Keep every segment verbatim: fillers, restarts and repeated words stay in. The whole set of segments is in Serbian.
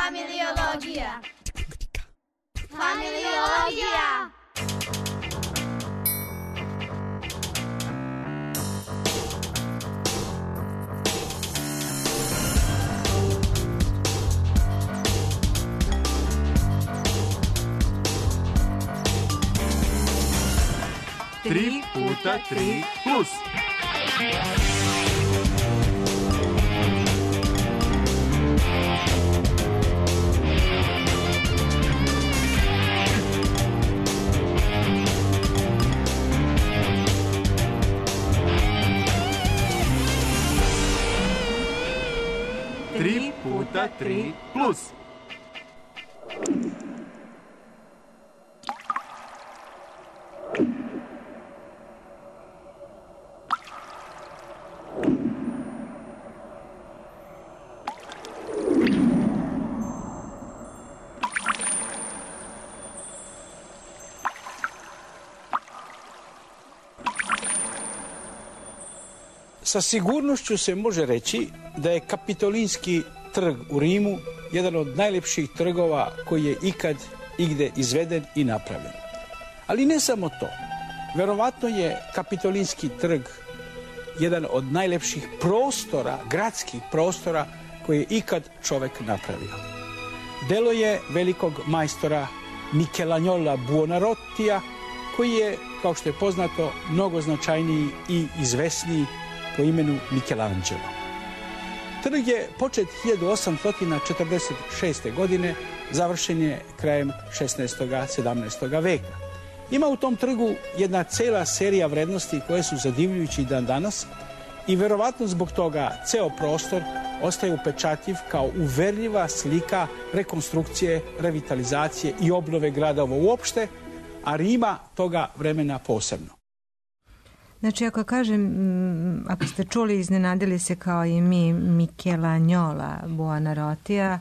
Familiologija. Familiologija. Tri puta tri plus. Tri puta tri plus. Sa sigurnošću se može reći da je Kapitolinski trg u Rimu jedan od najljepših trgova koji je ikad igde izveden i napravljen. Ali ne samo to. Verovatno je Kapitolinski trg jedan od najljepših prostora, gradskih prostora koje je ikad čovek napravio. Delo je velikog majstora Michelagnola Buonarrotija, koji je, kao što je poznato, mnogo značajniji i izvesniji po imenu Michelangelo. Trg je počet hiljadu osamsto četrdeset šeste. godine, završen je krajem šesnaestog sedamnaestog veka. Ima u tom trgu jedna cela serija vrednosti koje su zadivljujući dan danas i verovatno zbog toga ceo prostor ostaje upečatljiv kao uverljiva slika rekonstrukcije, revitalizacije i obnove gradova uopšte, a Rima toga vremena posebno. Znači, ako kažem, ako ste čuli, iznenadili se kao i mi Michelagnola Buonarrotija,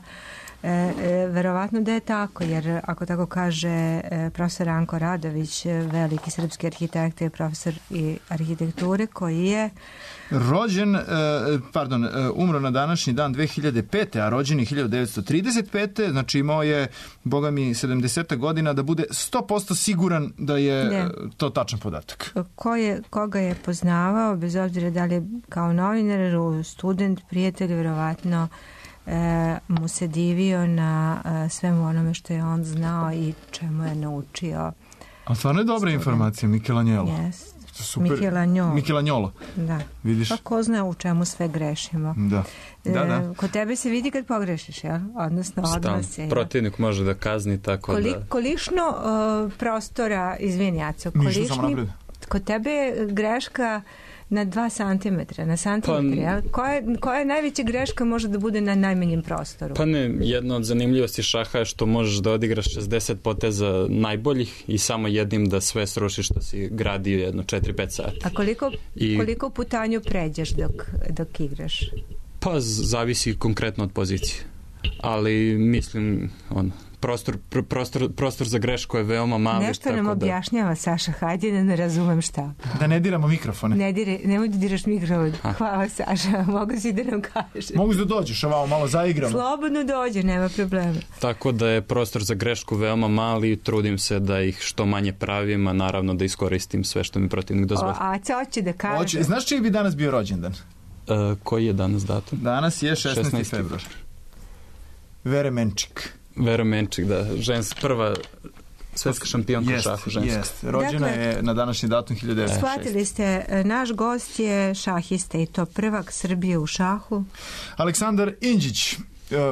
e, e, verovatno da je tako, jer ako tako kaže e, profesor Ranko Radović, veliki srpski arhitekt i profesor i arhitekture, koji je rođen, e, pardon, e, umro na današnji dan dve hiljade pete. a rođen je hiljadu devetsto trideset pete. Znači imao je, boga mi, sedamdeset godina da bude sto posto siguran da je ne. to tačan podatak. Ko je, koga je poznavao, bez obzira da li je kao novinar, student, prijatelj, verovatno e, mu se divio na e, svemu onome što je on znao i čemu je naučio. A stvarno je dobra student. Informacija, Michelangelo. Yes. Super. Michelagnola. Michelagnola. Da. Vidiš? Pa ko zna u čemu sve grešimo. Da. Da, da. E, kod tebe se vidi kad pogrešiš, jel? Odnosno, odnos je. Protivnik može da kazni tako Koli, da... Kolišno uh, prostora, izvini, Aco, kolišni, kod tebe je greška na dva santimetra, na santimetra, pa, jel? Koja, koja najveća greška može da bude na najmanjem prostoru? Pa ne, jedna od zanimljivosti šaha je što možeš da odigraš šezdeset poteza najboljih i samo jednim da sve srušiš što si gradio jedno četiri pet sati. A koliko, I, koliko putanju pređeš dok, dok igraš? Pa zavisi konkretno od pozicije. Ali mislim, ono, prostor, pr, prostor, prostor za grešku je veoma mali. Nešto tako nam da... objašnjava Saša, hajde da ne razumem šta. Da ne diramo mikrofone. Ne dire, nemoj da diraš mikrofon. Hvala, Saša, mogu si da nam kažeš. Mogu da dođeš, ovamo malo zaigramo. Slobodno dođe, nema problema. Tako da je prostor za grešku veoma mali i trudim se da ih što manje pravim, a naravno da iskoristim sve što mi protivnik dozvoli. A co hoće da kaže? Oće. Znaš čiji bi danas bio rođendan? Uh, koji je danas datum? Danas je šesnaesti februar. Vere Menčik. Vera Menčik, da, žens, prva svetska šampionka u šahu ženska. Jest, rođena dakle, je na današnji datum hiljadu devetsto šeste. Shvatili ste, naš gost je šahista i to prvak Srbije u šahu. Aleksandar Indžić,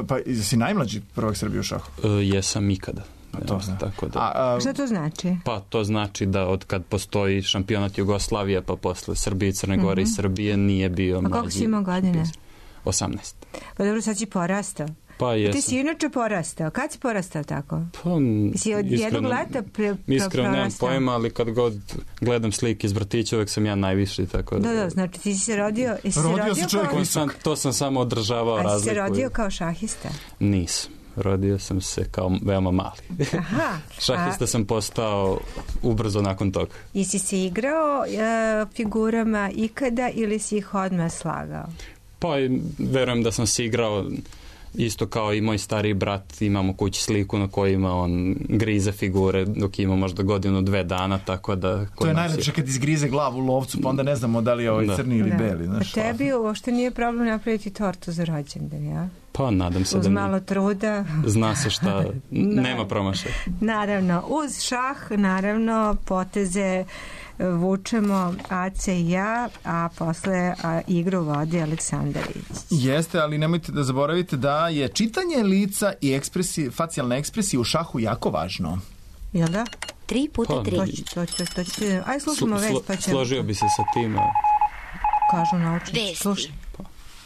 pa si najmlađi prvak Srbije u šahu? Uh, jesam ikada. A to zna. Tako da. A, a, šta to znači? Pa to znači da od kad postoji šampionat Jugoslavije, pa posle Srbije i Crne Gore uh-huh. i Srbije nije bio a mlađi. A koliko si imao godine? osamnaest. Pa dobro, sad si porastao. Pa jesam. Ti si inače porastao. Kad si porastao tako? Pa, si od iskreno, jednog leta pre, pre, iskreno nemam pojma, ali kad god gledam slike iz vrtića, uvek sam ja najviši. Tako da, da, da, znači ti si se rodio... Si rodio se rodio se čovjek kao... sam, to sam samo održavao razliku. A si se rodio kao šahista? Nisam. Rodio sam se kao veoma mali. Aha. Šahista a... sam postao ubrzo nakon toga. Jesi se igrao uh, figurama ikada ili si ih odmah slagao? Pa verujem da sam se igrao Isto kao i moj stariji brat, imamo kući sliku na kojima on grize figure dok ima možda godinu, dve dana, tako da... To je najlepše kad izgrize glavu u lovcu, pa onda ne znamo da li je ovaj da. crni ili da. beli. Znaš, a tebi uopšte nije problem napraviti tortu za rođendan, ja? Pa nadam se uz da... Uz malo truda. Zna se šta, nema promašaja. Naravno, uz šah, naravno, poteze vučemo Ace i ja, a posle a, igru vodi Aleksandar Iđić. Jeste, ali nemojte da zaboravite da je čitanje lica i ekspresije, facijalne ekspresije u šahu jako važno. Jel da? Tri puta tri. To će, to će, to će. Aj, slušamo Slo, vest, pa ćemo. Složio bi se sa tim. A... Kažu naučnici. Vesti.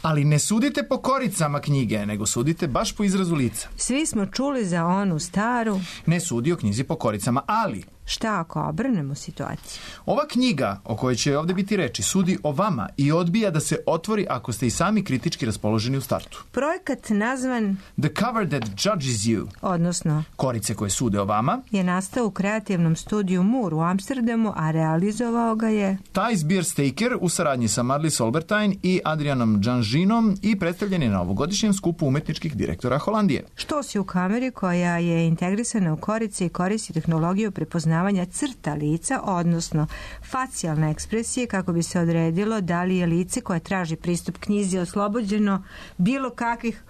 Ali ne sudite po koricama knjige, nego sudite baš po izrazu lica. Svi smo čuli za onu staru. Ne sudi o knjizi po koricama, ali... Šta ako obrnemo situaciju? Ova knjiga, o kojoj će ovdje biti reči, sudi o vama i odbija da se otvori ako ste i sami kritički raspoloženi u startu. Projekat nazvan The Cover That Judges You, odnosno Korice koje sude o vama, je nastao u kreativnom studiju Moore u Amsterdamu, a realizovao ga je Thijs Biersteker u saradnji sa Marlies Olbertijn i Adrianom Džanžinom i predstavljen je na ovogodišnjem skupu umetničkih direktora Holandije. Što si u kameri koja je integrisana u Korice i koristi tehnologiju prepoznavanja crta lica, odnosno facijalne ekspresije, kako bi se odredilo da li je lice koje traži pristup knjizi oslobođeno bilo kakvih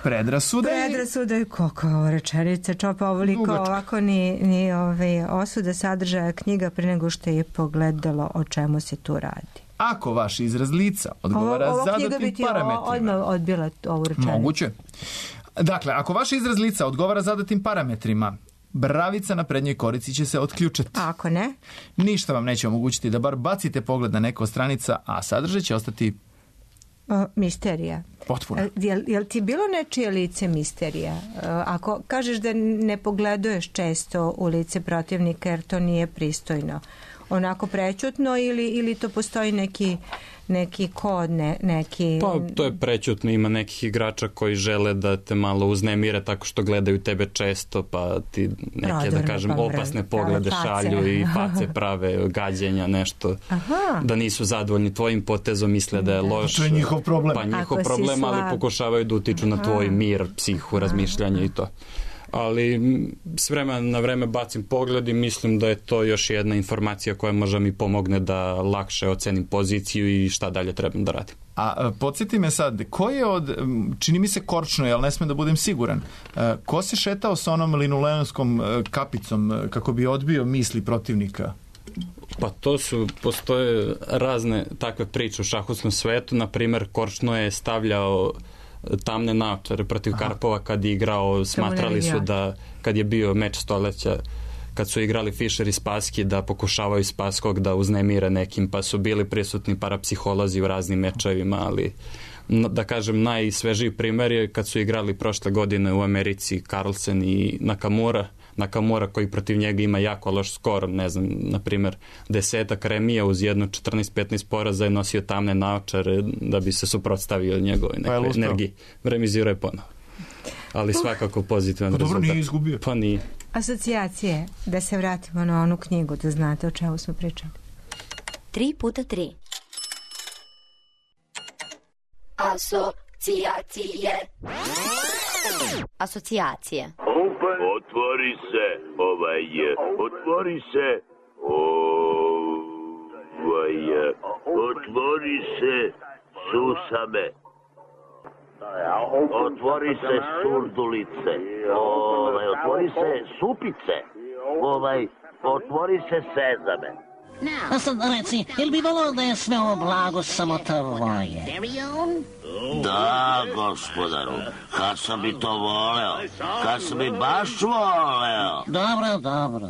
predrasuda. Predrasuda i koliko ovo rečenica, čopa ovoliko ovako ni, ni ove osuda sadržaja knjiga pre nego što je pogledalo o čemu se tu radi. Ako vaš izraz lica odgovara ovo, ovo zadatim parametrima. Ovo odmah odbila ovu rečenicu. Moguće. Dakle, ako vaš izraz lica odgovara zadatim parametrima, bravica na prednjoj korici će se otključati. Ako ne? Ništa vam neće omogućiti da bar bacite pogled na neko od stranica, a sadržaj će ostati o, misterija. Potpuno. Jel, jel ti bilo nečije lice misterija? Ako kažeš da ne pogleduješ često u lice protivnika jer to nije pristojno, onako prećutno ili, ili to postoji neki neki kod, ne, neki... Pa to je prećutno, ima nekih igrača koji žele da te malo uznemire tako što gledaju tebe često, pa ti neke, Prodorne, da kažem, opasne poglede šalju i face prave, gađenja, nešto. Aha. Da nisu zadovoljni tvojim potezom, misle da je loš. To je njihov problem. Pa njihov Ako problem, ali pokušavaju da utiču Aha. na tvoj mir, psihu, razmišljanje i to. Ali s vremena na vreme bacim pogled i mislim da je to još jedna informacija koja možda mi pomogne da lakše ocenim poziciju i šta dalje trebam da radim. A podsjeti me sad, ko je od, čini mi se Korčno, ali ne smem da budem siguran, ko se šetao sa onom linoleonskom kapicom kako bi odbio misli protivnika? Pa to su, postoje razne takve priče u šahovskom svetu, na primjer Korčno je stavljao tamne naočare protiv Aha. Karpova kad je igrao, smatrali su da kad je bio meč stoleća, kad su igrali Fischer i Spassky, da pokušavaju Spasskog da uznemire nekim, pa su bili prisutni parapsiholozi u raznim mečevima, ali da kažem najsvežiji primjer je kad su igrali prošle godine u Americi Carlsen i Nakamura, Nakamura koji protiv njega ima jako loš skor, ne znam, na primjer desetak remija uz jedno četrnaest petnaest poraza je nosio tamne naočare da bi se suprotstavio njegovoj nekoj pa energiji. Remizirao je ponovo. Ali svakako pozitivan rezultat. Dobro, nije izgubio. Pa nije. Asocijacije, da se vratimo na onu knjigu, da znate o čemu smo pričali. Tri puta tri. Asocijacije. Asocijacije. Otvori se, ovaj, otvori se, ovaj, otvori se, susame. Otvori se surdulice, ovaj, otvori se supice, ovaj, otvori se sezame. A sad reci, jel bi volao da je sve ovo blago samo tvoje? Da, gospodaru, kad sam bi to voleo, kad sam bi baš voleo. Dobro, dobro.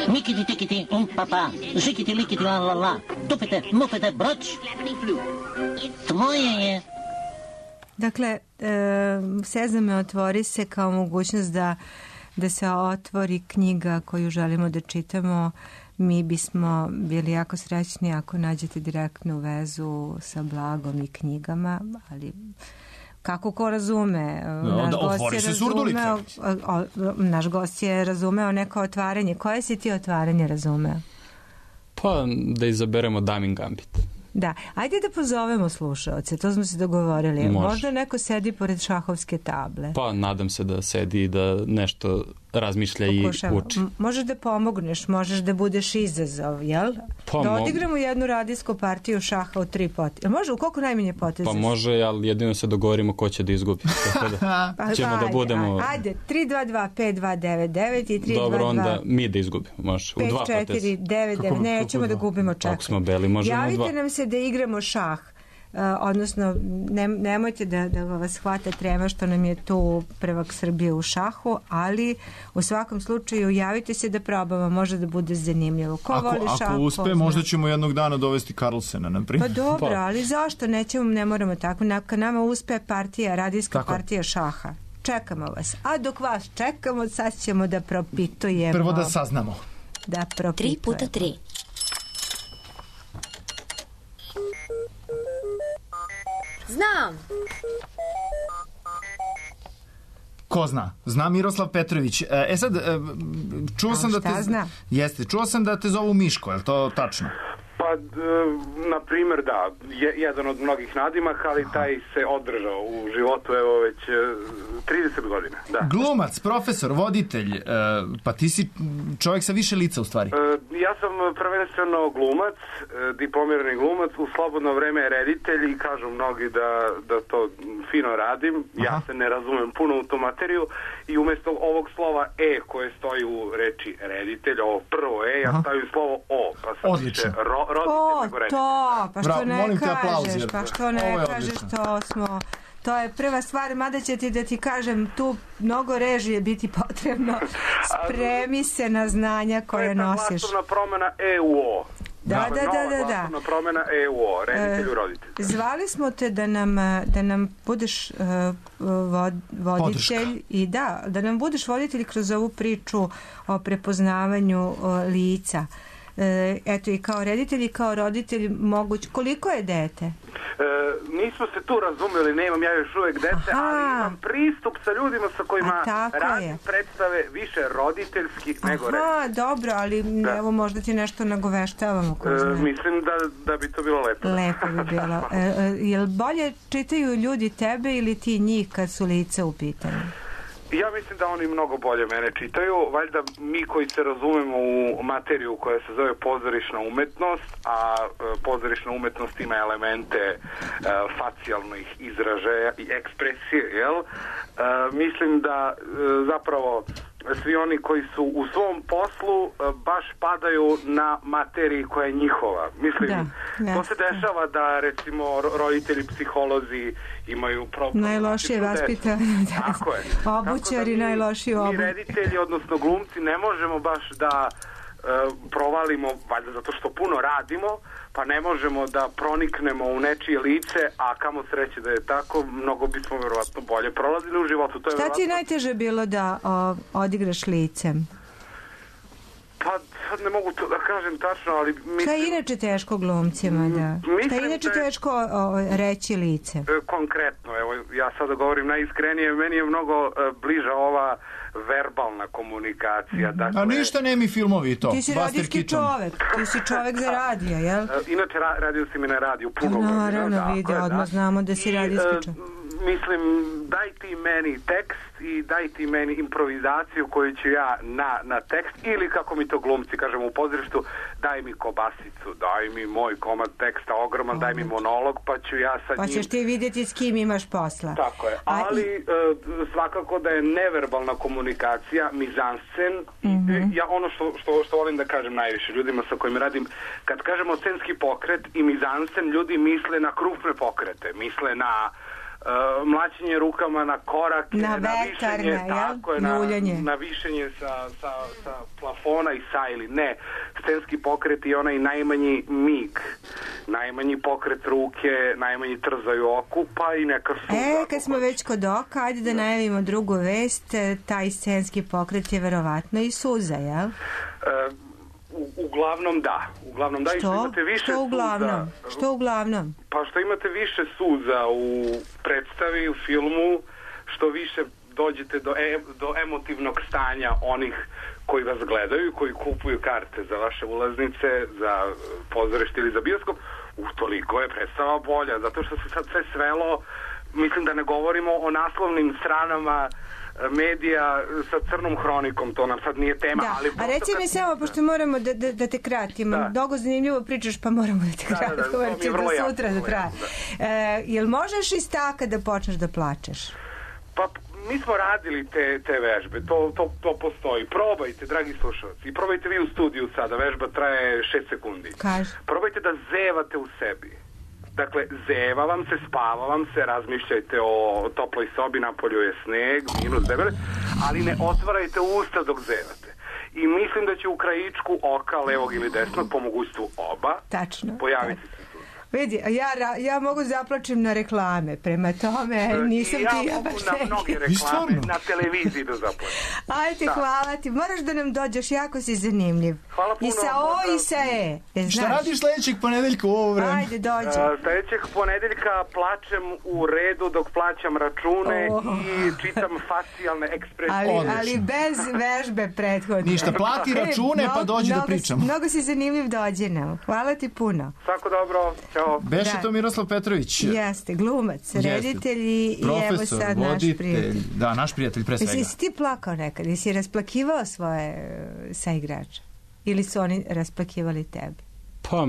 Mikiti tikiti, um papa, žikiti likiti la la la, tupite, mupite, broć, tvoje je. Dakle, e, Sezame otvori se kao mogućnost da, da se otvori knjiga koju želimo da čitamo. Mi bismo bili jako srećni ako nađete direktnu vezu sa blagom i knjigama, ali kako ko razume. No, naš, gost je razumeo, o, naš gost je razumeo neko otvaranje. Koje si ti otvaranje razumeo? Pa da izaberemo Damin Gambit. Da, ajde da pozovemo slušaoce, to smo se dogovorili. Može. Možda neko sedi pored šahovske table. Pa nadam se da sedi i da nešto razmišlja Pokušamo. i uči. Možeš da pomogneš, možeš da budeš izazov, jel? Pa da odigramo mo... jednu radijsku partiju šaha u tri poteze. Može, u koliko najmanje poteze? Pa može, ali jedino se dogovorimo ko će da izgubi. Tako da pa, ćemo ajde, da budemo... Ajde, tri dva dva pet dva devet devet i tri dva dva... Dobro, onda mi da izgubimo, može. U dva poteze. pet četiri devet devet, nećemo da gubimo, čekaj. Ako smo beli, možemo Javite dva. Javite nam se da igramo šah. Uh, odnosno, ne, nemojte da, da vas hvata trema što nam je tu prvak Srbije u šahu, ali u svakom slučaju javite se da probamo, može da bude zanimljivo. Ko ako, voli šah? Ako uspe, možda ćemo jednog dana dovesti Carlsena, na primjer. Pa dobro, ali zašto? Nećemo, ne moramo tako. Kad nama uspe partija, radijska tako. partija šaha, čekamo vas. A dok vas čekamo, sad ćemo da propitujemo. Prvo da saznamo. Da propitujemo. Tri puta tri. Znam. Ko zna? Zna Miroslav Petrović. E sad, čuo sam da te... Zna? Jeste, čuo sam da te zovu Miško, je li to tačno? Pa, na primjer, da, je, jedan od mnogih nadimaka, ali taj se održao u životu, evo, već trideset godina. Da. Glumac, profesor, voditelj, pa ti si čovjek sa više lica, u stvari. Ja sam prvenstveno glumac, diplomirani glumac, u slobodno vreme reditelj i kažu mnogi da, da to fino radim. Aha. Ja se ne razumem puno u tu materiju i umjesto ovog slova E koje stoji u reči reditelj, ovo prvo E, ja stavim slovo O, pa sam odlično. Ro, o, to, pa što Bravo, ne kažeš, aplauz, pa što ne kažeš, to smo, to je prva stvar, mada će ti da ti kažem, tu mnogo režije biti potrebno, spremi se na znanja koje nosiš. To je ta glasovna promjena E u O. Da, da, da, da, da. Glasovna promjena E u O, reditelju, roditelju. Zvali smo te da nam, da nam budeš uh, vod, voditelj Podrška. i da, da nam budeš voditelj kroz ovu priču o prepoznavanju uh, lica. Eto, i kao reditelj i kao roditelj moguć. Koliko je dete? E, nismo se tu razumeli, nemam ja još uvijek dete, Aha. ali imam pristup sa ljudima sa kojima radim predstave više roditeljski Aha, nego reditelj. Aha, dobro, ali da. evo možda ti nešto nagoveštavamo. E, mislim da, da bi to bilo lepo. Lepo bi bilo. E, jel bolje čitaju ljudi tebe ili ti njih kad su lice u pitanju? Ja mislim da oni mnogo bolje mene čitaju, valjda mi koji se razumemo u materiju koja se zove pozorišna umetnost, a pozorišna umetnost ima elemente uh, facijalnih izražaja i ekspresije, jel? Uh, mislim da uh, zapravo svi oni koji su u svom poslu uh, baš padaju na materiji koja je njihova. Mislim, da, to se dešava da recimo roditelji, psiholozi imaju problem. Najlošije vaspitanje. Tako je. Obućari da najlošiji obuć. Mi reditelji, odnosno glumci, ne možemo baš da uh, provalimo, valjda zato što puno radimo, pa ne možemo da proniknemo u nečije lice, a kamo sreće da je tako, mnogo bismo verovatno bolje prolazili u životu. To je Šta verovatno... ti je najteže bilo da o, odigraš licem? Pa sad ne mogu to da kažem tačno, ali mislim... Šta je inače teško glumcima, da? Šta je inače da je... teško o, reći lice? Konkretno, evo, ja sada govorim najiskrenije, meni je mnogo uh, bliža ova verbalna komunikacija. Mm-hmm. Dakle, a ništa nemi filmovi to. Ti si radijski čovek, ti si čovek za radija, jel? Uh, inače, ra- radio si mi na radiju puno. Naravno, da, vidio, odmah da. znamo da si radijski čovek. Mislim, daj ti meni tekst i daj ti meni improvizaciju koju ću ja na, na tekst, ili kako mi to glumci kažemo u pozorištu, daj mi kobasicu, daj mi moj komad teksta ogroman, oh. daj mi monolog, pa ću ja sa pa njim... Pa ćeš ti vidjeti s kim imaš posla. Tako je, ali i... svakako da je neverbalna komunikacija, mizanscen, mm-hmm. ja ono što, što, što volim da kažem najviše ljudima sa kojim radim, kad kažemo scenski pokret i mizansen, ljudi misle na krupne pokrete, misle na Uh, mlaćenje rukama na korake, na, na vetarne, višenje, tako je, na, na višenje sa, sa, sa plafona i sajli. Ne, scenski pokret je onaj najmanji mig, najmanji pokret ruke, najmanji trzaj u oku, pa i neka suza. E, kad smo već kod oka, ajde da najavimo drugu vest, taj scenski pokret je verovatno i suza, jel? Uh, U, Uglavnom da. Uglavnom da. Što? I što imate više što uglavnom? Suza, što uglavnom? Pa što imate više suza u predstavi, u filmu, što više dođete do, e, do emotivnog stanja onih koji vas gledaju, koji kupuju karte za vaše ulaznice, za pozorište ili za bioskop, utoliko je predstava bolja, zato što se sad sve svelo, mislim da ne govorimo o naslovnim stranama medija sa crnom hronikom, to nam sad nije tema. Da, ali a reci mi samo, pošto moramo da, da, da te kratimo, da. Dogo zanimljivo pričaš, pa moramo da te kratimo, da, da, da, da, da sutra da traje. Da. E, jel možeš iz taka da počneš da plačeš? Pa mi smo radili te, te vežbe, to, to, to postoji. Probajte, dragi slušalci, i probajte vi u studiju sada, vežba traje šest sekundi. Kaži. Probajte da zevate u sebi. Dakle, zeva vam se, spava vam se, razmišljajte o toploj sobi, napolju je sneg, minus debele, ali ne otvarajte usta dok zevate. I mislim da će u krajičku oka, levog ili desnog, po mogućstvu oba, tačno, pojaviti tačno. se. Vidi, ja, ja mogu zaplačem na reklame, prema tome nisam ja ti ja mogu na mnoge reklame na televiziji da zaplačem. Ajde, da. Hvala ti. Moraš da nam dođeš, jako si zanimljiv. Hvala puno. I sa O i sa E. E šta radiš sledećeg ponedeljka u ovo vreme? Ajde, dođi. Uh, sledećeg ponedeljka plačem u redu dok plaćam račune oh. i čitam facijalne ekspresije. Ali, ali bez vežbe prethodne. Ništa, plati račune e, pa dođi mnogo, da pričamo. Mnogo si zanimljiv, dođi nam. Hvala ti puno. Svako dobro. Ćao. Beše da. To Miroslav Petrović. Jeste, glumac, reditelj i evo sad naš prijatelj. Da, naš prijatelj pre svega. Jesi ti plakao nekad? Jesi rasplakivao svoje saigrače? Ili su oni rasplakivali tebe? Pa,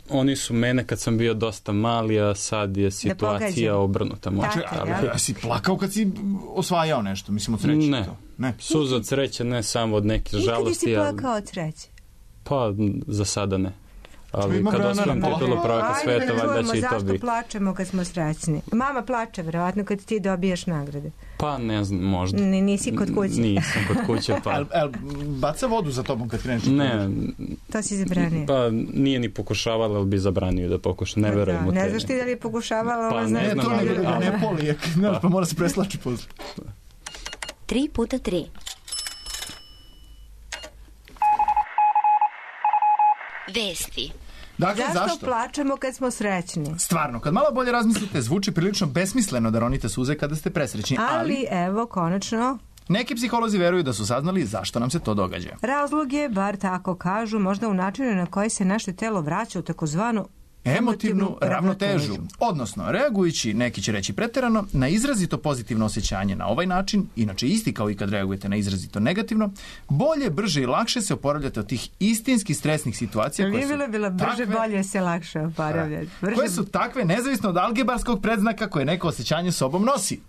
oni su mene kad sam bio dosta mali, a sad je situacija obrnuta. Tako, ali, ja? A si plakao kad si osvajao nešto, mislim od sreće? Ne, to? ne. Suza od sreće, ne samo od neke žalosti. Nikad si plakao od sreće? Pa, za sada ne. Ali kad osvojim titulu prvaka sveta, valjda će i to biti. Zašto plačemo kad smo srećni? Mama plače, verovatno, kad ti dobijaš nagrade. Pa ne znam, možda. N nisi kod kuće? Nisam kod kuće, pa... El, el, baca vodu za tobom kad kreneš? Ne. To si zabranio? Pa nije ni pokušavala, ali bi zabranio da pokuša. Ne verujem u te. Ne znaš ti da li je pokušavala? Pa ne znam, ali... Ne, to ne polijek, pa. pa mora se preslači posle. Tri puta tri. Vesti. Dakle, zašto, zašto plačemo kad smo srećni? Stvarno, kad malo bolje razmislite, zvuči prilično besmisleno da ronite suze kada ste presrećni, ali... Ali, evo, konačno... Neki psiholozi veruju da su saznali zašto nam se to događa. Razlog je, bar tako kažu, možda u načinu na koji se naše telo vraća u takozvanu emotivnu ravnotežu. Odnosno, reagujući, neki će reći preterano, na izrazito pozitivno osjećanje na ovaj način, inače isti kao i kad reagujete na izrazito negativno, bolje, brže i lakše se oporavljate od tih istinski stresnih situacija koje su bilo, bilo, brže, takve, bolje se lakše oporavljati. Brže... koje su takve nezavisno od algebarskog predznaka koje neko osjećanje sobom nosi.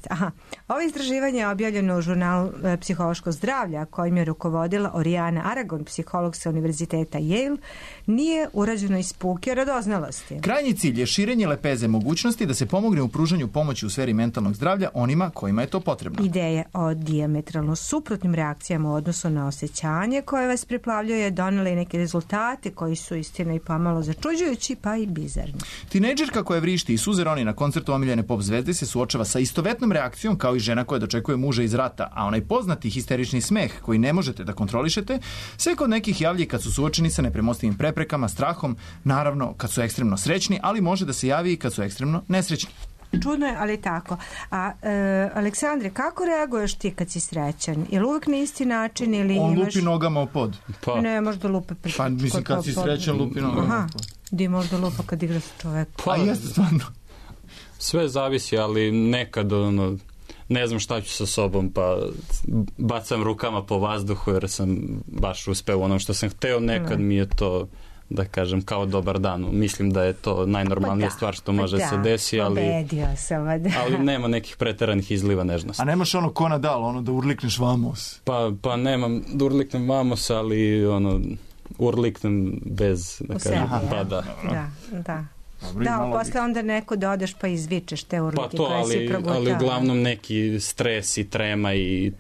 Aha. Ovo istraživanje je objavljeno u žurnalu e, Psihološko zdravlja, kojim je rukovodila Oriana Aragon, psiholog sa univerziteta Yale, nije urađeno iz puke radoznalosti. Krajnji cilj je širenje lepeze mogućnosti da se pomogne u pružanju pomoći u sferi mentalnog zdravlja onima kojima je to potrebno. Ideje o dijametralno suprotnim reakcijama u odnosu na osjećanje koje vas priplavljuje donele i neke rezultate koji su istina i pomalo začuđujući pa i bizarni. Tinejdžerka koja vrišti i suze roni na koncertu omiljene pop zvezde se suočava sa istovetnom reakcijom kao i žena koja dočekuje muža iz rata, a onaj poznati histerični smeh koji ne možete da kontrolišete se kod nekih javlja kad su suočeni sa nepremostivim preprekama, strahom, naravno kad su ekstremno srećni, ali može da se javi i kad su ekstremno nesrećni. Čudno je, ali tako. A, e, Aleksandre, kako reaguješ ti kad si srećan? Je li uvijek na isti način ili On imaš... lupi nogama u pod. Pa. Ne, možda lupa... Pre... Pa mislim kad si srećan lupi nogama u pod. Di možda lupa kad igra sa čovekom. Pa, A jeste stvarno. Sve zavisi, ali nekad ono, ne znam šta ću sa sobom, pa bacam rukama po vazduhu jer sam baš uspeo ono što sam hteo, nekad mi je to, da kažem, kao dobar dan. Mislim da je to najnormalnija pa da, stvar što može da, se desi, ali, sam, da. ali nema nekih preteranih izliva nežnosti. A nemaš ono ko Nadal, ono da urlikneš vamos? Pa, pa nemam da urliknem vamos, ali ono, urliknem bez, da kažem, sebi, pa da. Da, da. Dobri, da, posle onda neko da odeš pa izvičeš te urlike pa to, koje ali, si progutao. ali uglavnom neki stres i trema i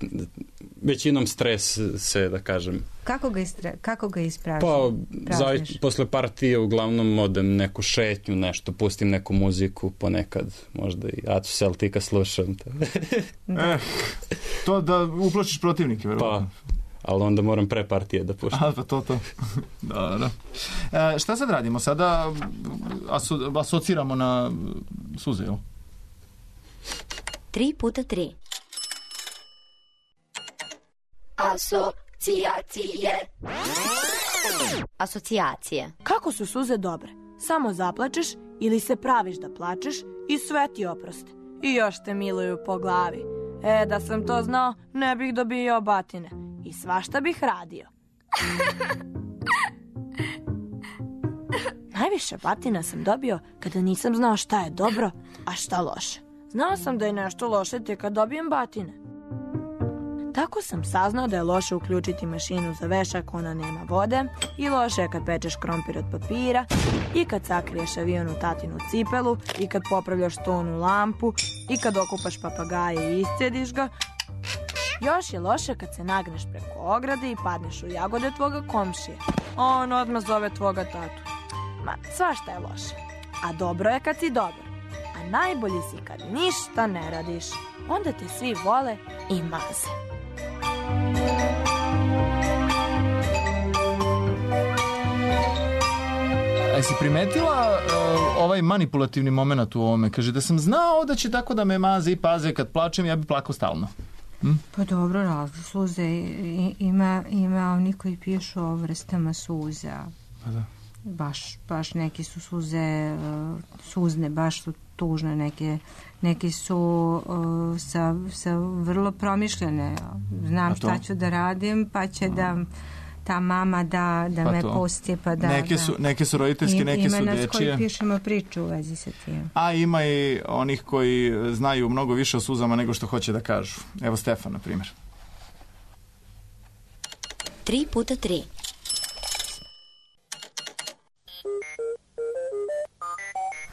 većinom stres se, da kažem... Kako ga, istra, kako ga ispraviš? Pa, zavi, posle partije uglavnom odem neku šetnju, nešto, pustim neku muziku, ponekad možda i Atu Celtica slušam. Da. eh, to da uplašiš protivnike, verovatno. Pa, ali onda moram pre partije da puštam. A, pa to, to. Da, da. E, šta sad radimo? Sada aso, asociramo na suze, jel? Tri puta tri. Asocijacije. Asocijacije. Kako su suze dobre? Samo zaplačeš ili se praviš da plačeš i sve ti oproste. I još te miluju po glavi. E, da sam to znao, ne bih dobio batine. I svašta bih radio. Najviše batina sam dobio kada nisam znao šta je dobro, a šta loše. Znao sam da je nešto loše te kad dobijem batine. Tako sam saznao da je loše uključiti mašinu za vešak, ona nema vode, i loše je kad pečeš krompir od papira, i kad sakriješ avion u tatinu cipelu, i kad popravljaš stonu lampu, i kad okupaš papagaje i iscediš ga. Još je loše kad se nagneš preko ograde i padneš u jagode tvoga komšije. On odmah zove tvoga tatu. Ma, svašta je loše. A dobro je kad si dobar. A najbolji si kad ništa ne radiš. Onda te svi vole i maze. A jesi primetila uh, ovaj manipulativni moment u ovome? Kaže da sam znao da će tako da me maze i paze kad plačem, ja bi plakao stalno. Hm? Pa dobro, razli suze. Ima, ima oni koji pišu o vrstama suza. Pa da. Baš, baš neki su suze uh, suzne, baš su tužne, neke, neki su uh, sa, sa vrlo promišljene. Znam šta ću da radim, pa će da ta mama da, da pa me pusti. Pa da, neke, su, neke su roditeljske, I, neke su dečije. Ima nas koji pišemo priču u vezi sa tim. A ima i onih koji znaju mnogo više o suzama nego što hoće da kažu. Evo Stefan, na primjer. Tri puta tri.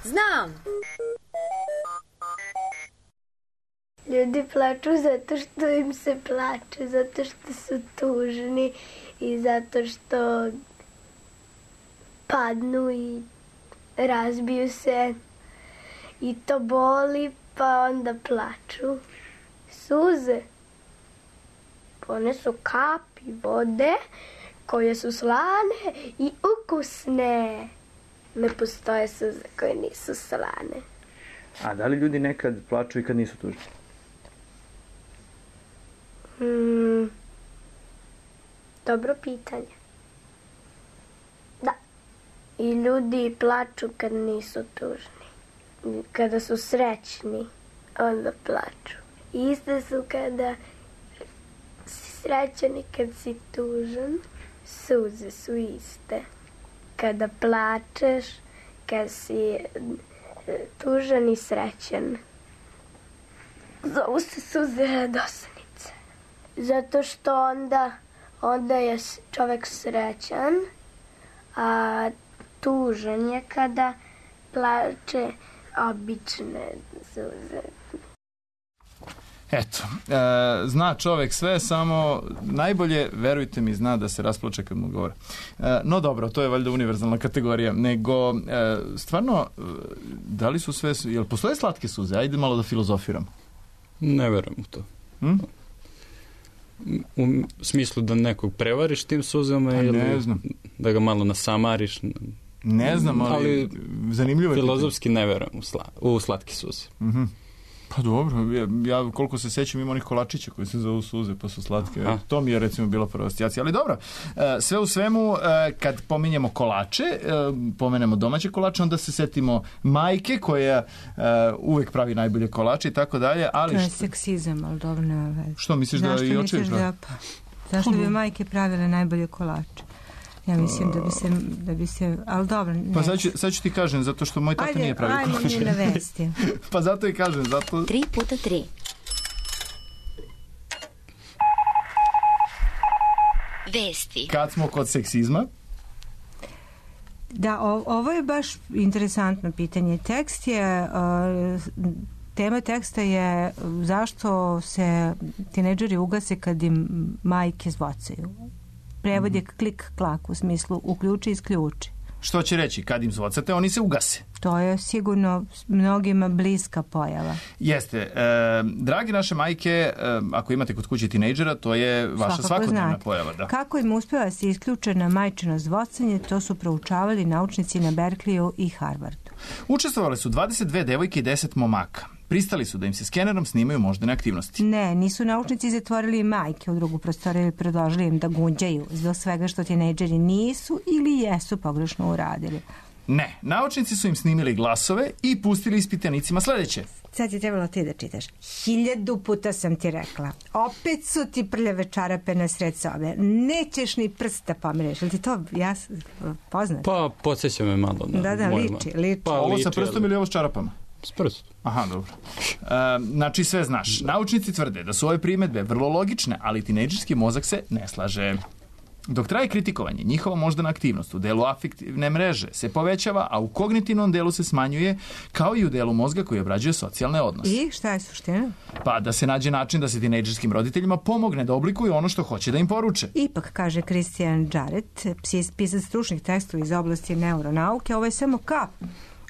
Znam. Ljudi plaču zato što im se plače, zato što su tužni i zato što padnu i razbiju se i to boli, pa onda plaču. Suze, one su kapi vode koje su slane i ukusne. Ne postoje suze koje nisu slane. A da li ljudi nekad plaču i kad nisu tužni? Hmm, dobro pitanje. Da. I ljudi plaču kad nisu tužni. Kada su srećni, onda plaču. Iste su kada si srećan i kad si tužan. Suze su iste. Kada plačeš, kad si tužan i srećan. Zovu se suze radosnice. Zato što onda, onda je čovek srećan, a tužan je kada plače obične suze. Eto, e, zna čovek sve, samo najbolje, verujte mi, zna da se rasplače kad mu govore. E, no dobro, to je valjda univerzalna kategorija, nego e, stvarno, da li su sve, jel postoje slatke suze? Ajde malo da filozofiramo. Ne verujem u to. Hm? U smislu da nekog prevariš tim suzama ili ne znam. Da ga malo nasamariš. Ne znam, ali, ali zanimljivo je. Filozofski ne verujem u, sla, u slatke suze. Mhm. Pa dobro, ja, ja koliko se sećam ima onih kolačića koji se zovu suze pa su slatke. Aha. To mi je recimo bila prva asocijacija. Ali dobro, sve u svemu kad pominjemo kolače, pomenemo domaće kolače, onda se setimo majke koja uvek pravi najbolje kolače i tako dalje. Ali to je seksizam, ali dobro nema veze. Što misliš da i očevi pravi? Da, pa, zašto bi majke pravile najbolje kolače? Ja mislim da bi se, da bi se, ali dobro, ne. Pa sad ću, sad ću ti kažem, zato što moj tata ajde, nije pravi kolače. Ajde, ajde, mi navesti. Pa zato i kažem, zato... Tri puta tri. Vesti. Kad smo kod seksizma? Da, o, ovo je baš interesantno pitanje. Tekst je... Uh, tema teksta je zašto se tinejdžeri ugase kad im majke zvocaju. Prevod je klik klak u smislu uključi i isključi. Što će reći, kad im zvocate, oni se ugase. To je sigurno mnogima bliska pojava. Jeste. E, dragi naše majke, e, ako imate kod kuće tinejdžera, to je vaša Svakako svakodnevna znate. pojava. Da. Kako im uspeva se isključena majčino zvocanje, to su proučavali naučnici na Berkeleyu i Harvardu. Učestvovale su dvadeset dve devojke i deset momaka. Pristali su da im se skenerom snimaju moždane aktivnosti. Ne, nisu naučnici zatvorili majke u drugu prostoriju i predložili im da gunđaju zbog svega što tinejdžeri nisu ili jesu pogrešno uradili. Ne, naučnici su im snimili glasove i pustili ispitanicima sledeće. Sad je trebalo ti da čitaš. Hiljadu puta sam ti rekla. Opet su ti prljave čarape na sred sobe. Nećeš ni prsta pomereš. Ili ti to ja poznaš? Pa, podsjeća me malo. Na da, da, mojima. liči, liči. Pa, ovo sa prstom ili ovo s čarapama? S prstom. Aha, dobro. E, znači, sve znaš. Naučnici tvrde da su ove primedbe vrlo logične, ali tinejdžerski mozak se ne slaže. Dok traje kritikovanje, njihova moždana aktivnost u delu afektivne mreže se povećava, a u kognitivnom delu se smanjuje, kao i u delu mozga koji obrađuje socijalne odnose. I šta je suština? Pa da se nađe način da se tinejdžerskim roditeljima pomogne da oblikuju ono što hoće da im poruče. Ipak, kaže Christian Jarrett, pisac stručnih tekstova iz oblasti neuronauke, ovo je samo kap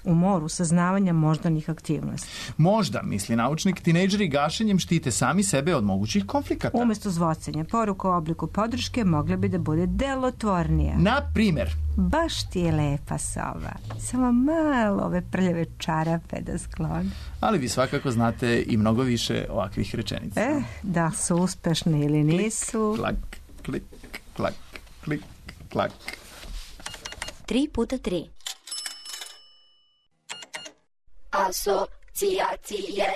u moru saznavanja moždanih aktivnosti. Možda, misli naučnik, tinejdžeri gašenjem štite sami sebe od mogućih konflikata. Umesto zvocanja, poruka u obliku podrške mogla bi da bude delotvornija. Na primer, baš ti je lepa soba. Samo malo ove prljave čarape da skloni. Ali vi svakako znate i mnogo više ovakvih rečenica. Eh, da su uspešne ili nisu. Klik, klik, klak, klik, klak. Tri puta tri. Asocijacije.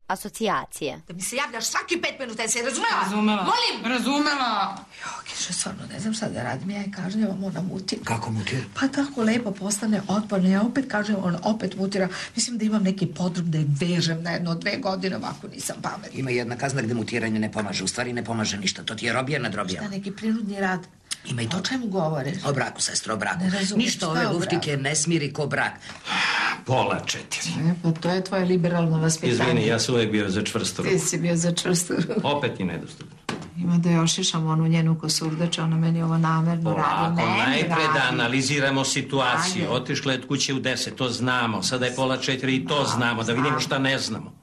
Asocijacije. Da mi se javljaš svaki pet minuta, je se razumela? Razumela. Molim! Razumela. Jo, Kiša, stvarno, ne znam šta da radim, ja je kažnjavam, ona mutira. Kako mutira? Pa tako lepo postane otporna, ja opet kažem, on opet mutira. Mislim da imam neki podrub da je vežem na jedno dve godine, ovako nisam pametna. Ima jedna kazna gde mutiranje ne pomaže, u stvari ne pomaže ništa, to ti je robija nad robijama. Šta, neki prinudni rad? Ima i to. O čemu govoriš? O braku, sestro, o braku. Ne razumem, ništa šta ove o luftike braku? ne smiri ko brak. Pola četiri. E, pa to je tvoje liberalno vaspitanje. Izvini, ja sam uvek bio za čvrstu ruku. Ti si bio za čvrstu ruku. Opet i nedostupno. Ima da još išam onu njenu kosurdača, ona meni ovo namerno radi. Polako, Meni najpre da radi. analiziramo situaciju. Ajde. Otišla je od kuće u deset, to znamo. Sada je pola četiri i to znamo, da vidimo šta ne znamo.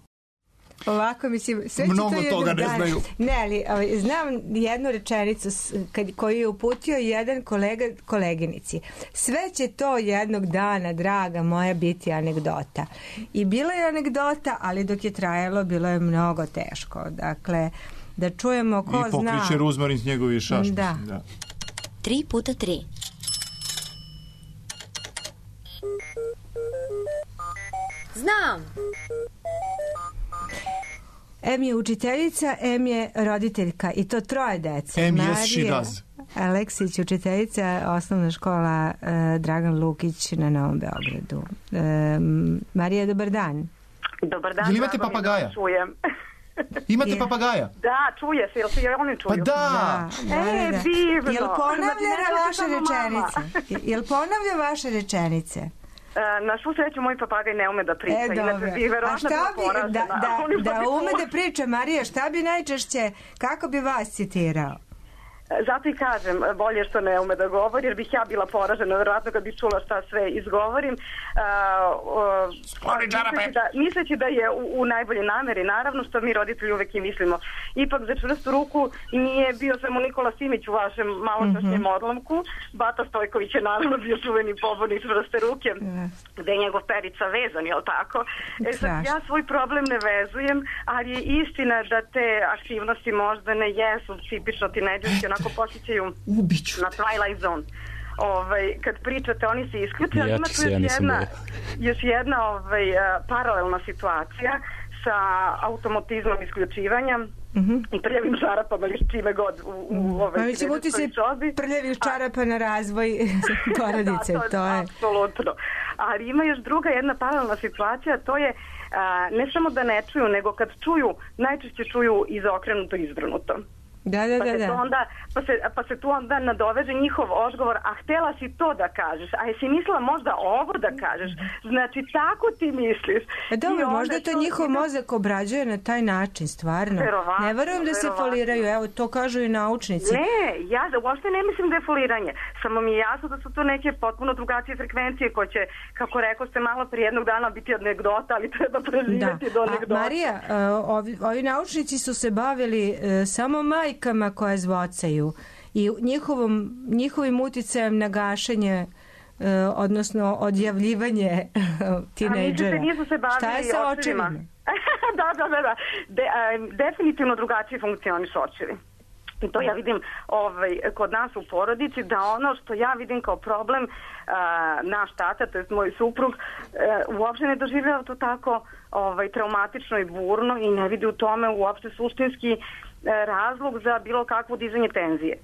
Ovako, mislim, sve će Mnogo to toga jedan ne dan. znaju. Ne, ali ovaj, znam jednu rečenicu s- kad, koju je uputio jedan kolega koleginici. Sve će to jednog dana, draga moja, biti anegdota. I bila je anegdota, ali dok je trajalo, bilo je mnogo teško. Dakle, da čujemo ko I zna. pokriće ruzmarin s njegovi šaš. Da. mislim, da. Tri puta tri. Znam. Em je učiteljica, em je roditeljka i to troje dece. Em, yes, she does. Aleksić, učiteljica, osnovna škola eh, Dragan Lukić na Novom Beogradu. E, Marija, dobar dan. Dobar dan. Jel imate drago mi je da papagaja? vas čujem. Imate Je. papagaja? Da, čuje se, jel se i oni čuju? Pa da! Da, da, E, da. divno. Jel ponavlja Znači, ne vaše samo mama. rečenice? Jel ponavlja vaše rečenice? E, na svu sreću moj papagaj ne ume da priča. E, inače dobro. bi A verovatno šta bila bi, da, poražena. da, Oni da bi ume čula. da priča, Marija, šta bi najčešće, kako bi vas citirao? Zato i kažem, bolje što ne ume da govori, jer bih ja bila poražena, verovatno kad bih čula šta sve izgovorim. Uh, misleći, da, misleći da je u, u najbolje nameri, naravno, što mi roditelji uvek i mislimo. Ipak za čvrstu ruku nije bio samo Nikola Simić u vašem maločašnjem mm-hmm. odlomku. Bata Stojković je naravno bio čuveni pobornik čvrste ruke, mm. gde je njegov perica vezan, jel tako? E, sad, ja svoj problem ne vezujem, ali je istina da te aktivnosti možda ne jesu tipično tinejdžerski, onako posjećaju na Twilight Zone. Ovaj, kad pričate, oni se isključe, ali Ja ima ti tu se, ja još nisam jedna, bio. još jedna ovaj, paralelna situacija sa automatizmom isključivanja Mhm. i prljavim žarapama ili s čime god u, u ovaj Pa mi će buti se prljavih čarapa na razvoj porodice. da, to, to je. apsolutno. Ali ima još druga jedna paralelna situacija, to je a, ne samo da ne čuju, nego kad čuju, najčešće čuju izokrenuto, izvrnuto. Da, da, pa, da, se da. To onda, pa, se, pa se tu onda nadoveže njihov odgovor, a htela si to da kažeš, a jesi mislila možda ovo da kažeš, znači tako ti misliš. E dobro, onda možda to to njihov ide- mozak obrađuje na taj način, stvarno. Verovatno, Ne verujem da se verovatno. foliraju, evo to kažu i naučnici. Ne, ja uopšte ne mislim da je foliranje. Samo mi je jasno da su to neke potpuno drugačije frekvencije koje će, kako rekao ste malo prije, jednog dana biti anegdota, ali treba Da. preživjeti do A, anegdota. Marija, e, ovi, ovi naučnici su se bavili e, samo majkama koje zvocaju i njihovom, njihovim uticajem na gašenje, e, odnosno odjavljivanje tinejdžera. A mislite, nisu se bavili Šta je sa očevima? očevima? da, da, da, da. De, a, definitivno drugačije funkcionišu očevi. I to ja vidim ovaj, kod nas u porodici, da ono što ja vidim kao problem, a, naš tata, to je moj suprug, a, uopšte ne doživljava to tako ovaj, traumatično i burno i ne vidi u tome uopšte suštinski a, razlog za bilo kakvo dizanje tenzije.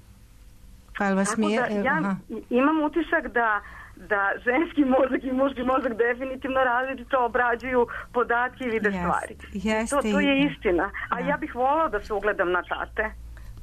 Pa jel vas Tako smije? da ja Aha. imam utisak da da ženski mozak i muški mozak definitivno različito obrađuju podatke i vide Jeste, stvari. jeste to, to je i- istina. A da. ja bih volao da se ugledam na tate.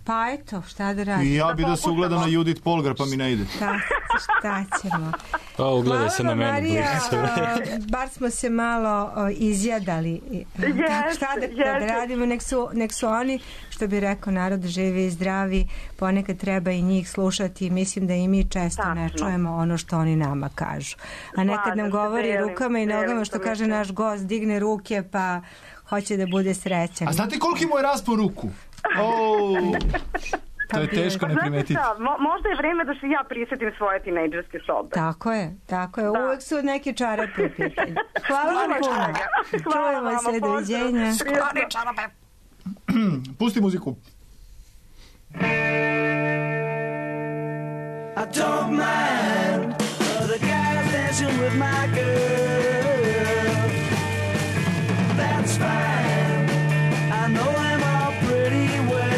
Pa eto, šta da radim? I ja bi da se ugledam na Judith Polgar, pa mi ne ide. Šta, šta ćemo? Pa ugledaj se na Hvala vam, meni. Marija, bliže. a, bar smo se malo o, izjadali. Jeste, Tak, šta da, da jeste. radimo, nek su, nek su oni, što bi rekao narod, živi i zdravi, ponekad treba i njih slušati. Mislim da i mi često ne Tačno. čujemo ono što oni nama kažu. A nekad Slažem nam se, govori delim, rukama i delim nogama, to što kaže mišljenje. naš gost, digne ruke pa hoće da bude srećan. A znate koliki mu je raspon ruku? Oh, to je teško ne Znate primetiti. šta, mo- možda je vreme da se ja prisjetim svoje tinejdžerske sobe. Tako je, tako je. Da. Uvek su neki čarape u pitanju. Hvala vam Nema puno. čega. Hvala Čujemo vama, se, pozdrav. doviđenja. Prijatno. Pusti muziku. I don't mind other guys dancing with my girl. That's fine. I know them all pretty well.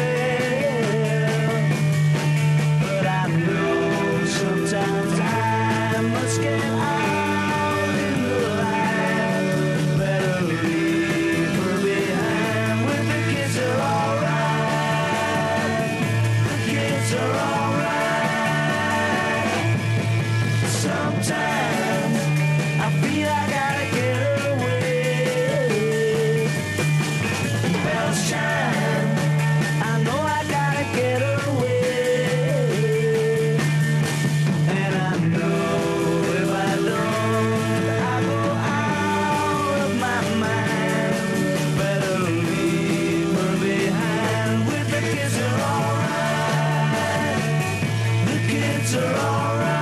But I know sometimes I must get out in the line. Better leave her behind. With the kids are alright. The kids are alright. Sometimes I feel I gotta get away. Bells chime, I know I gotta get away. And I know if I don't, I go out of my mind. Better leave her behind. With the kids are alright. The kids are alright.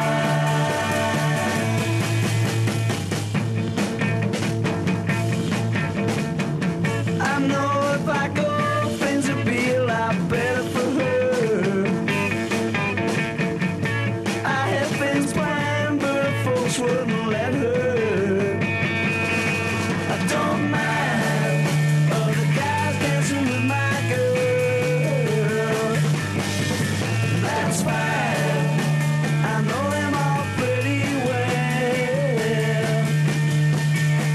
I know if I go, things will be a lot better for her. I had things planned, but folks wouldn't let her. I don't mind other guys dancing with my girl. That's fine. I know them all pretty well.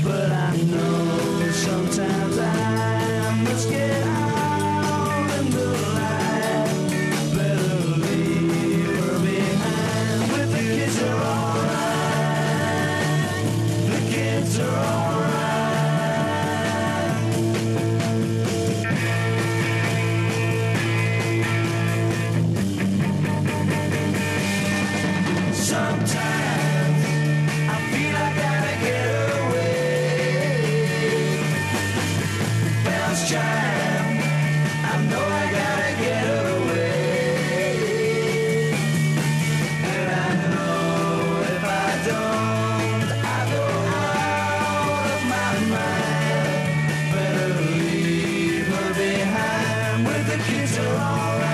But I know sometimes I must get out in the light. Better leave her behind. But the kids are alright. The kids are alright. Sometimes I feel I gotta get away. Bells chime, I know I gotta get away. And I know if I don't, I go out of my mind. Better leave her behind. With the kids are alright.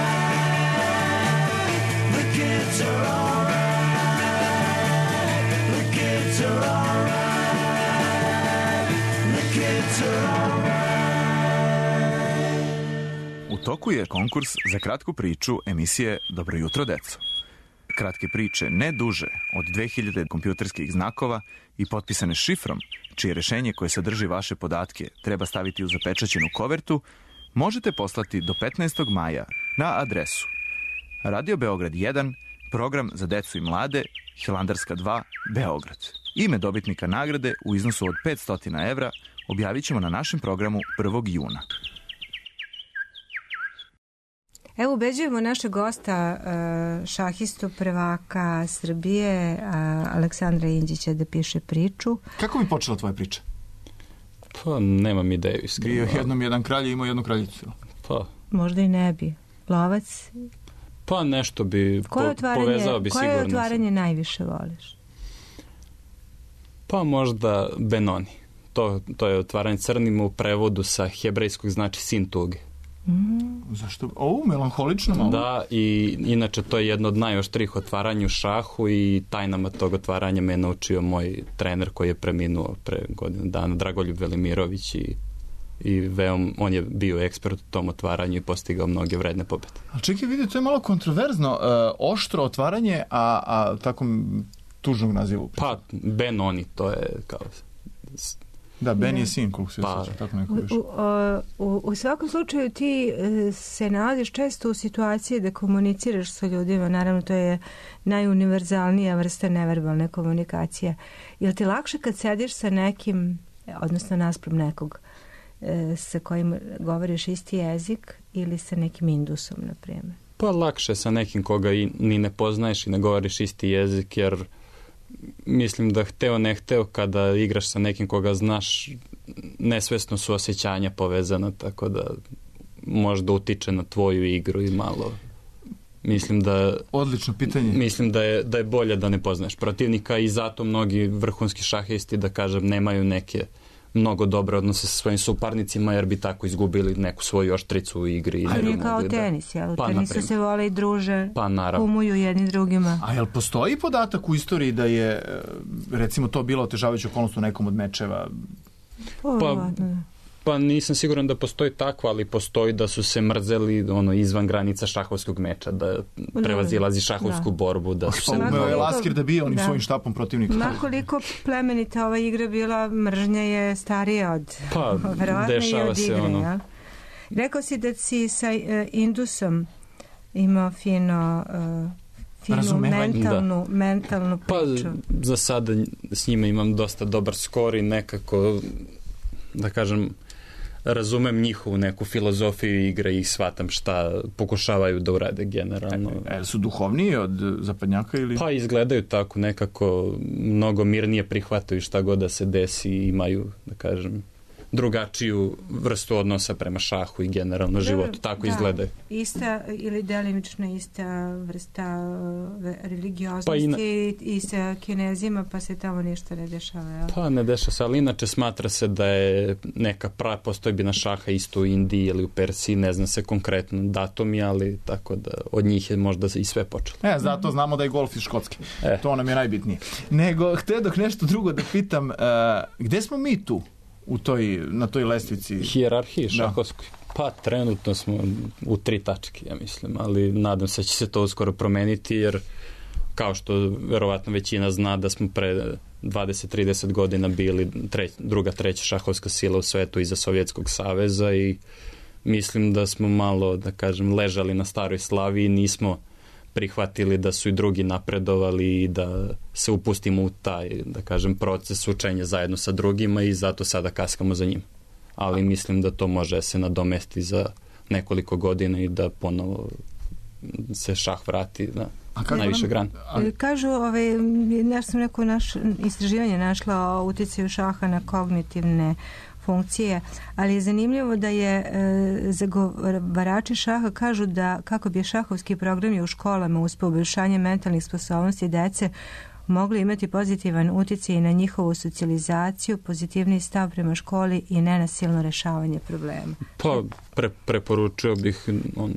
The kids are alright. The kids are alright. The kids are alright. U toku je konkurs za kratku priču emisije Dobro jutro, deco. Kratke priče ne duže od dve hiljade kompjuterskih znakova i potpisane šifrom, čije rešenje koje sadrži vaše podatke treba staviti u zapečaćenu kovertu, možete poslati do petnaestog maja na adresu Radio Beograd jedan, program za decu i mlade, Hilandarska dva, Beograd. Ime dobitnika nagrade u iznosu od petsto evra objavit ćemo na našem programu prvog juna. Evo, ubeđujemo našeg gosta, šahistu prvaka Srbije, Aleksandra Inđića, da piše priču. Kako bi počela tvoja priča? Pa, nemam ideju iskreno. Bio jednom jedan kralj i imao jednu kraljicu. Pa. Možda i ne bi. Lovac? Pa, nešto bi po, povezao bi sigurno. Koje otvaranje najviše voliš? Pa, možda Benoni. To, to je otvaranje crnim, u prevodu sa hebrejskog znači sin tuge. Mm. Zašto? O, melanholično malo. Da, i inače to je jedno od najoštrih otvaranja u šahu i tajnama tog otvaranja me je naučio moj trener koji je preminuo pre godinu dana, Dragoljub Velimirović, i, i veom, on je bio ekspert u tom otvaranju i postigao mnoge vredne pobede. Ali čekaj, vidi, to je malo kontroverzno. E, oštro otvaranje, a, a takom tužnog nazivu. Pa, Benoni, to je kao... Da, Ben je sin, koliko se pa, osjeća, tako neko više. U, u, u svakom slučaju ti se nalaziš često u situaciji da komuniciraš sa ljudima, naravno to je najuniverzalnija vrsta neverbalne komunikacije. Je li ti lakše kad sediš sa nekim, odnosno naspram nekog, sa kojim govoriš isti jezik ili sa nekim Indusom, na primjer? Pa lakše sa nekim koga i ni ne poznaješ i ne govoriš isti jezik, jer mislim da hteo ne hteo kada igraš sa nekim koga znaš, nesvesno su osjećanja povezana, tako da možda utiče na tvoju igru i malo. Mislim da... Odlično pitanje. Mislim da je, da je bolje da ne poznaš protivnika i zato mnogi vrhunski šahisti, da kažem, nemaju neke mnogo dobre odnose sa svojim suparnicima, jer bi tako izgubili neku svoju oštricu u igri. Ali nije kao tenis, jel? U Pa, tenisu naprimjer. se vole i druže, Pa, naravno. kumuju jedni drugima. A jel postoji podatak u istoriji da je, recimo, to bilo otežavajuća okolnost u nekom od mečeva? Pa, pa nisam siguran da postoji tako, ali postoji da su se mrzeli ono, izvan granica šahovskog meča, da prevazilazi šahovsku Da. borbu. Da su se... Umeo je Laskir da bije onim Da. svojim štapom protivnika. Makoliko plemenita ova igra bila, mržnja je starija od... Pa, verovatno i dešava od se igre, ono. jel? Rekao si da si sa uh, Indusom imao fino... Uh, finu Razumevanje. mentalnu, mentalnu Pa, priču. za sada s njima imam dosta dobar skor i nekako, da kažem, razumem njihovu neku filozofiju igre i shvatam šta pokušavaju da urade generalno. E, e, su duhovniji od zapadnjaka ili? Pa izgledaju tako, nekako mnogo mirnije prihvataju šta god da se desi i imaju, da kažem, drugačiju vrstu odnosa prema šahu i generalno životu. Tako Da, izgledaju. Ista ili delimično ista vrsta uh, religioznosti Pa i na- i, i sa Kinezima, pa se tamo ništa ne dešava. Jel? Pa ne deša se, ali inače smatra se da je neka pra postojbina šaha isto u Indiji ili u Persiji, ne zna se konkretno datumi, ali tako da od njih je možda i sve počelo. E, zato znamo da je golf iz Škotske. E. To nam je najbitnije. Nego, htio dok nešto drugo da pitam, uh, gde smo mi tu? U toj, na toj lestvici? Hijerarhiji šahovskoj. Pa trenutno smo u tri tačke, ja mislim, ali nadam se da će se to uskoro promeniti, jer kao što verovatno većina zna da smo pre dvadeset do trideset godina bili treć, druga, treća šahovska sila u svetu iza Sovjetskog saveza i mislim da smo malo, da kažem, ležali na staroj slavi i nismo prihvatili da su i drugi napredovali i da se upustimo u taj, da kažem, proces učenja zajedno sa drugima i zato sada kaskamo za njim. Ali mislim da to može se nadomesti za nekoliko godina i da ponovo se šah vrati na najviše grane. Kažu, ovaj, nešto sam neko naš, istraživanje našla o uticaju šaha na kognitivne funkcije, ali je zanimljivo da je e, zagovarači šaha kažu da kako bi šahovski programi u školama uz poboljšanje mentalnih sposobnosti dece mogli imati pozitivan utjecaj na njihovu socijalizaciju, pozitivni stav prema školi i nenasilno rešavanje problema. Pa pre, preporučio bih on,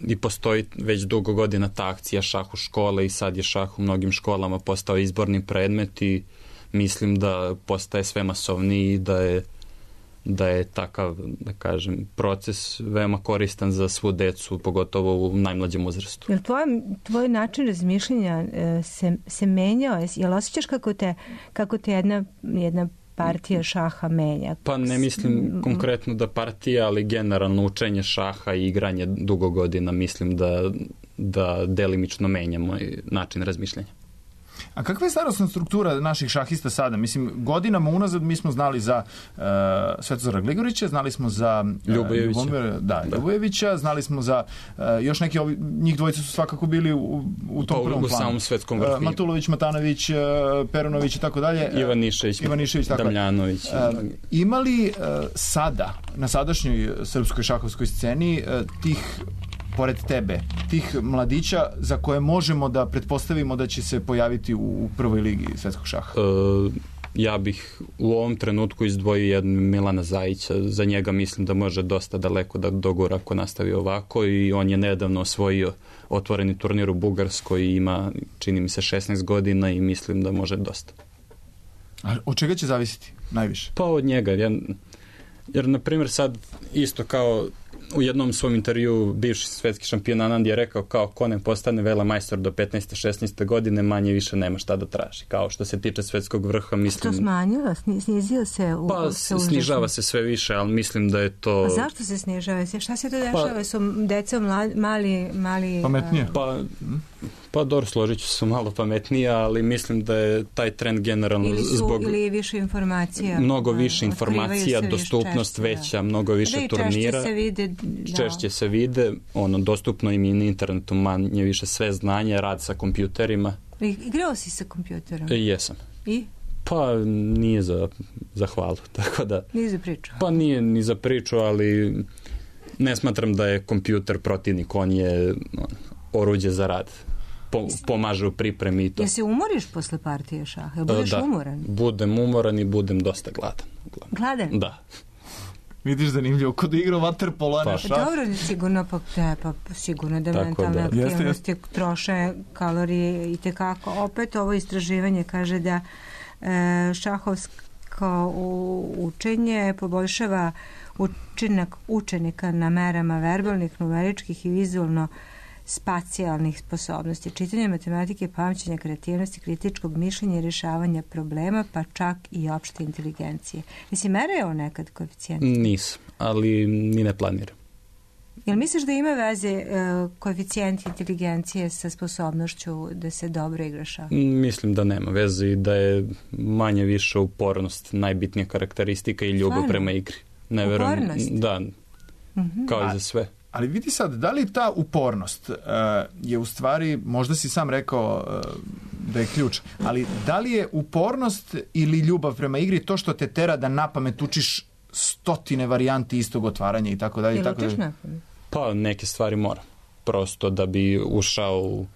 i postoji već dugo godina ta akcija šah u škole i sad je šah u mnogim školama postao izborni predmet i mislim da postaje sve masovniji i da je da je takav, da kažem, proces veoma koristan za svu decu, pogotovo u najmlađem uzrastu. Jel tvoj, tvoj način razmišljanja e, se, se menjao? Jel osjećaš kako te, kako te jedna, jedna partija šaha menja? Pa ne mislim konkretno da partija, ali generalno učenje šaha i igranje dugo godina mislim da, da delimično menja moj način razmišljanja. A kakva je starosna struktura naših šahista sada? Mislim, godinama unazad mi smo znali za uh, Svetozara Gligorića, znali smo za uh, Ljubojevića. Ljubomira, da, da. Ljubojevića, znali smo za uh, još neki, ovi, njih dvojica su svakako bili u, u tom pa, prvom u planu. U samom svetskom vrhu. Uh, Matulović, Matanović, uh, Perunović i tako dalje. Ivan Nišević, Ivan Nišević, tako Damljanović. Uh, imali uh, sada, na sadašnjoj srpskoj šahovskoj sceni, uh, tih pored tebe, tih mladića za koje možemo da pretpostavimo da će se pojaviti u prvoj ligi svetskog šaha? E, ja bih u ovom trenutku izdvojio jednog Milana Zajića. Za njega mislim da može dosta daleko da dogura ako nastavi ovako i on je nedavno osvojio otvoreni turnir u Bugarskoj i ima, čini mi se, šesnaest godina i mislim da može dosta. A od čega će zavisiti najviše? Pa od njega. Jer, jer na primjer, sad isto kao u jednom svom intervju bivši svetski šampion Anand je rekao kao ko ne postane velemajstor do petnaeste šesnaeste godine manje više nema šta da traži. Kao što se tiče svetskog vrha, mislim... Što smanjilo? Snizio se? U, pa se snižava se sve više, ali mislim da je to... A zašto se snižava? Šta se to dešava? Pa, su deca mali... mali pametnije? Pa... Pa dobro, složit ću se malo pametnije, ali mislim da je taj trend generalno ili su, zbog... Ili više informacija. Mnogo više informacija, dostupnost češće, veća, da. mnogo više da turnira. Češće se vide. Da. Češće se vide, ono, dostupno im i na internetu manje više sve znanje, rad sa kompjuterima. Igrao si sa kompjuterom? E, jesam. I? Pa nije za, za hvalu, tako da... Nije za priču? Pa nije ni za priču, ali ne smatram da je kompjuter protivnik, on je on, oruđe za rad. Po, pomaže u pripremi i to. Jel se umoriš posle partije šaha? Jel budeš da, umoran? Budem umoran i budem dosta gladan. Gladan? Da. Vidiš, zanimljivo, kod igra vaterpolo, a ne šah. Dobro, sigurno, pa, te, pa sigurno da tako mentalne da. aktivnosti Jeste, jeste. troše kalorije i tekako. Opet ovo istraživanje kaže da e, šahovsko učenje poboljšava učinak učenika na merama verbalnih, numeričkih i vizualno spacijalnih sposobnosti, čitanja matematike, pamćenja, kreativnosti, kritičkog mišljenja i rješavanja problema, pa čak i opšte inteligencije. Jesi mereo nekad koeficijent? Nisam, ali ni ne planiram. Jel misliš da ima veze uh, koeficijent inteligencije sa sposobnošću da se dobro igra šah? Mislim da nema veze i da je manje više upornost najbitnija karakteristika i ljubav Stvarno? prema igri. Ne verujem, upornost? da, mm-hmm. kao i za sve. Ali vidi sad, da li ta upornost uh, je u stvari, možda si sam rekao uh, da je ključ, ali da li je upornost ili ljubav prema igri to što te tera da napamet učiš stotine varijanti istog otvaranja i tako dalje? Jel učiš napamet? Pa neke stvari moram. Prosto da bi ušao u,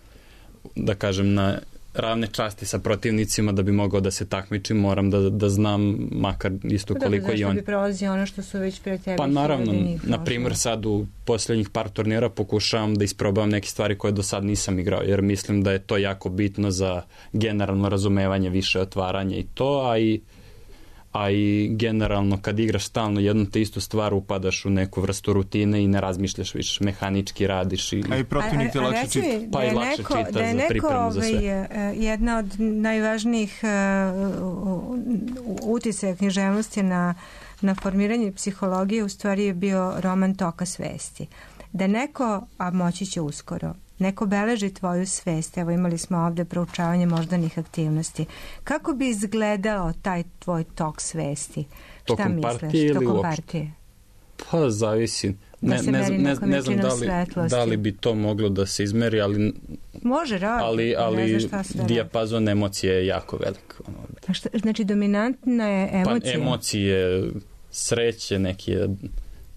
da kažem, na ravne časti sa protivnicima, da bi mogao da se takmičim, moram da, da znam makar isto koliko Dobro, i on. Zašto bi prolazio ono što su već pre tebi? Pa naravno, na primjer sad u posljednjih par turnira pokušavam da isprobam neke stvari koje do sad nisam igrao, jer mislim da je to jako bitno za generalno razumevanje, više otvaranja i to, a i a i generalno kad igraš stalno jednu te istu stvar upadaš u neku vrstu rutine i ne razmišljaš više, mehanički radiš i... A i protivnik te lakše čita. Pa i lakše neko, čita da je za neko, pripremu za sve. Ovaj, jedna od najvažnijih uh, uticaja književnosti na, na formiranje psihologije u stvari je bio roman Toka svesti. Da neko, a moći će uskoro, neko beleži tvoju svest, evo imali smo ovde proučavanje moždanih aktivnosti. Kako bi izgledao taj tvoj tok svesti? Tokom Šta misliš? partije ili Tokom uopšte? partije? Pa zavisi. Ne, Da ne, ne, ne, ne znam da li, svetlosti. da li bi to moglo da se izmeri, ali, Može, rad, ali, ali ne znaš šta se da dijapazon emocije je jako velik. Ono. A šta, znači dominantna je emocija? Pa emocije, sreće, neke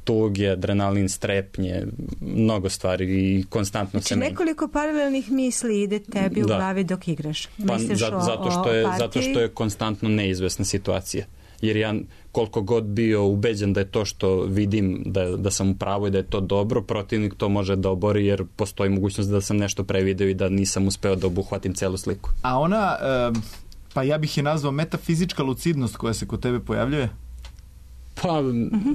tuge, adrenalin, strepnje, mnogo stvari i konstantno znači, se menja. nekoliko paralelnih misli ide tebi u Da. glavi dok igraš. Pa, Misliš za, o, zato, što o je, partiji? zato što je konstantno neizvesna situacija. Jer ja koliko god bio ubeđen da je to što vidim da, da sam u pravu i da je to dobro, protivnik to može da obori jer postoji mogućnost da sam nešto prevideo i da nisam uspeo da obuhvatim celu sliku. A ona, pa ja bih je nazvao metafizička lucidnost koja se kod tebe pojavljuje? Pa,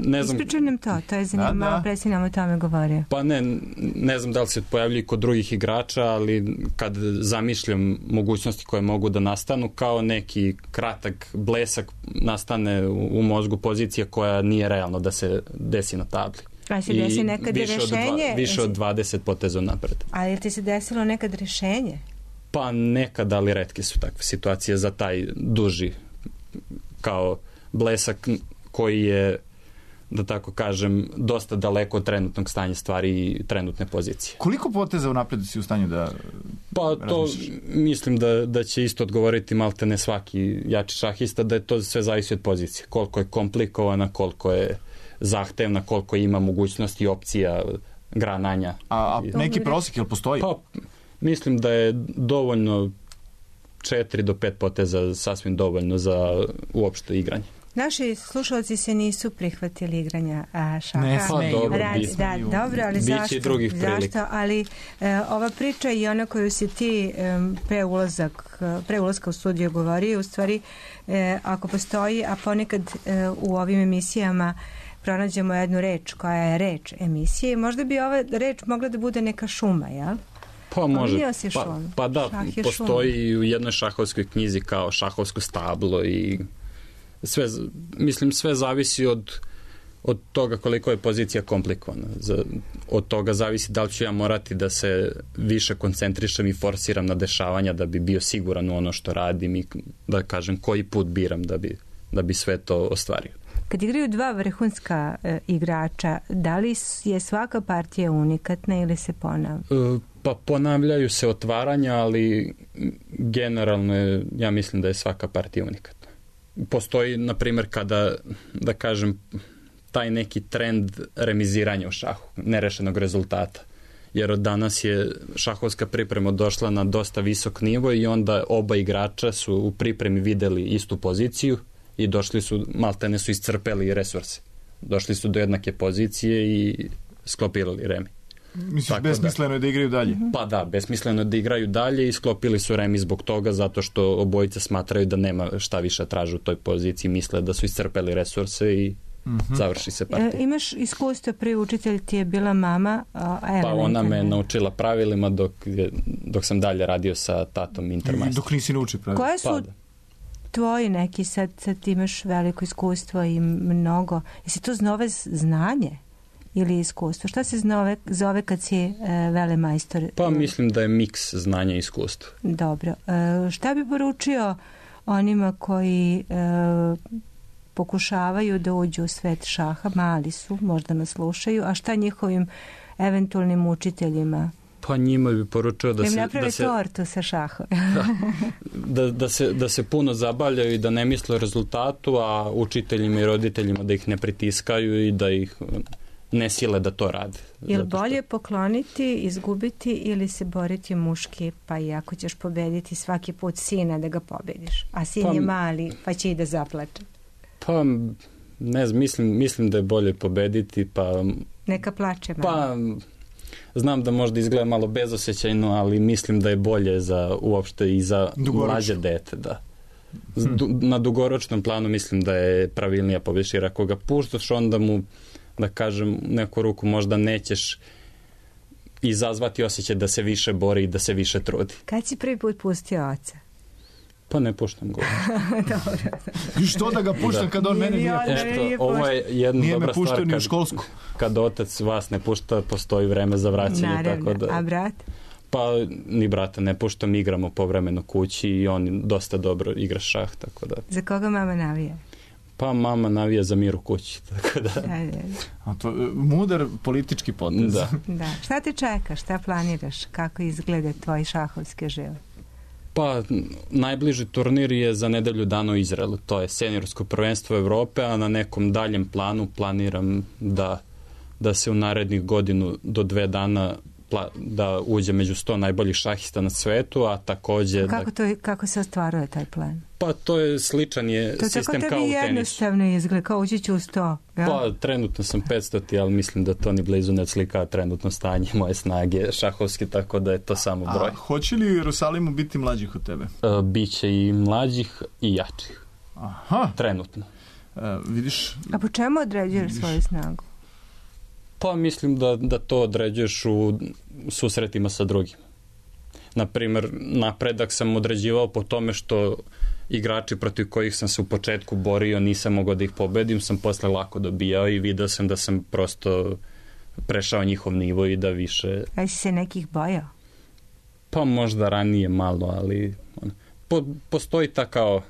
ne znam... Ispričaj nam to, to je zanimljivo, malo pre si nam o tome govorio. Pa ne, ne znam da li se pojavljaju kod drugih igrača, ali kad zamišljam mogućnosti koje mogu da nastanu, kao neki kratak blesak nastane u mozgu pozicija koja nije realno da se desi na tabli. A se desi nekad više rešenje? Od dva, više od dvadeset poteza napred. Ali je ti se desilo nekad rešenje? Pa nekad, ali retke su takve situacije za taj duži kao blesak koji je, da tako kažem, dosta daleko od trenutnog stanja stvari i trenutne pozicije. Koliko poteza u napredu si u stanju da Pa to mislim da, da će isto odgovoriti malte ne svaki jači šahista, da je to sve zavisi od pozicije. Koliko je komplikovana, koliko je zahtevna, koliko ima mogućnosti i opcija grananja. A, a neki prosjek, jel postoji? Pa mislim da je dovoljno četiri do pet poteza sasvim dovoljno za uopšte igranje. Naši slušalci se nisu prihvatili igranja a, šaha. Ne smeju. Pa, dobro, Rad, da, dobro, ali biće zašto? i drugih prilika. Zašto? Ali e, ova priča i ona koju si ti e, pre, ulazak, pre ulaska u studiju govorio, u stvari, e, ako postoji, a ponekad e, u ovim emisijama pronađemo jednu reč koja je reč emisije, možda bi ova reč mogla da bude neka šuma, jel? Pa može, pa, pa da, postoji šuma. U jednoj šahovskoj knjizi kao šahovsko stablo i sve, mislim, sve zavisi od, od toga koliko je pozicija komplikovana. Od toga zavisi da li ću ja morati da se više koncentrišem i forsiram na dešavanja da bi bio siguran u ono što radim i da kažem koji put biram da bi, da bi sve to ostvario. Kad igraju dva vrhunska e, igrača, da li je svaka partija unikatna ili se ponavlja? E, pa ponavljaju se otvaranja, ali generalno je, ja mislim da je svaka partija unikatna. Postoji, na primjer, kada, da kažem, taj neki trend remiziranja u šahu, nerešenog rezultata. Jer od danas je šahovska priprema došla na dosta visok nivo i onda oba igrača su u pripremi videli istu poziciju i došli su, maltene su iscrpeli resurse. Došli su do jednake pozicije i sklopirali remi. Misliš, tako besmisleno da, je da igraju dalje? Pa da, besmisleno je da igraju dalje i sklopili su remi zbog toga, zato što obojica smatraju da nema šta više traže u toj poziciji, misle da su iscrpeli resurse i mm-hmm. završi se partija. E, imaš iskustvo, prvi učitelj ti je bila mama? A, pa ona me naučila pravilima dok, dok sam dalje radio sa tatom Intermajstor. Dok nisi naučio pravilima? Koje su pa, da. tvoji neki, sad, sad imaš veliko iskustvo i mnogo, jesi to znove znanje ili iskustvo? Šta se znove, zove kad si e, velemajstor? Pa mislim da je miks znanja i iskustva. Dobro. E, šta bi poručio onima koji e, pokušavaju da uđu u svet šaha, mali su, možda nas slušaju, a šta njihovim eventualnim učiteljima? Pa njima bi poručio da, da se... Da napravi da se, tortu sa šahom. da, da, se, da se puno zabavljaju i da ne misle o rezultatu, a učiteljima i roditeljima da ih ne pritiskaju i da ih ne sile da to rade. Je li bolje pokloniti, izgubiti ili se boriti muški, pa i ako ćeš pobediti svaki put sina da ga pobediš, a sin pa, je mali pa će i da zaplače? Pa ne znam, mislim, mislim da je bolje pobediti, pa... Neka plače malo. Pa znam da možda izgleda malo bezosjećajno, ali mislim da je bolje za uopšte i za mlađe dete, da. Hmm. Na dugoročnom planu mislim da je pravilnija pobediš, jer ako ga puštaš, onda mu, da kažem, neku ruku možda nećeš izazvati osjećaj da se više bori i da se više trudi. Kad si prvi put pustio oca? Pa ne puštam go. Dobro. I što da ga puštam da. Kad on mene nije pušta? Eto, ovo je jedna nije dobra stvar. Nije me kad, školsku. Kad otac vas ne pušta, postoji vreme za vraćanje. Naravno. Tako da, a brat? Pa ni brata ne puštam, igramo povremeno kući i on dosta dobro igra šah. Tako da. Za koga mama navija? Pa mama navija za mir u kući. Tako da. Da, da. A to, mudar politički potez. Da. Da. Šta te čeka? Šta planiraš? Kako izgleda tvoj šahovski život? Pa, najbliži turnir je za nedelju dana u Izraelu. To je seniorsko prvenstvo Evrope, a na nekom daljem planu planiram da, da se u narednih godinu do dve dana pla, da uđe među sto najboljih šahista na svetu, a takođe... Kako, da, to, kako se ostvaruje taj plan? Pa to je sličan je to sistem kao u tenisu. To tako tebi jednostavno izgleda, kao ući ću u sto. Ja? Pa trenutno sam petsto, ali mislim da to ni blizu ne slika trenutno stanje moje snage šahovske, tako da je to samo broj. A hoće li u Jerusalimu biti mlađih od tebe? E, biće i mlađih i jačih. Aha. Trenutno. Uh, vidiš... A po čemu određuješ vidiš... svoju snagu? Pa mislim da, da to određuješ u susretima sa drugim. Naprimer, napredak sam određivao po tome što igrači protiv kojih sam se u početku borio, nisam mogao da ih pobedim, sam posle lako dobijao i video sam da sam prosto prešao njihov nivo i da više... A si se nekih bojao? Pa možda ranije malo, ali po, postoji ta kao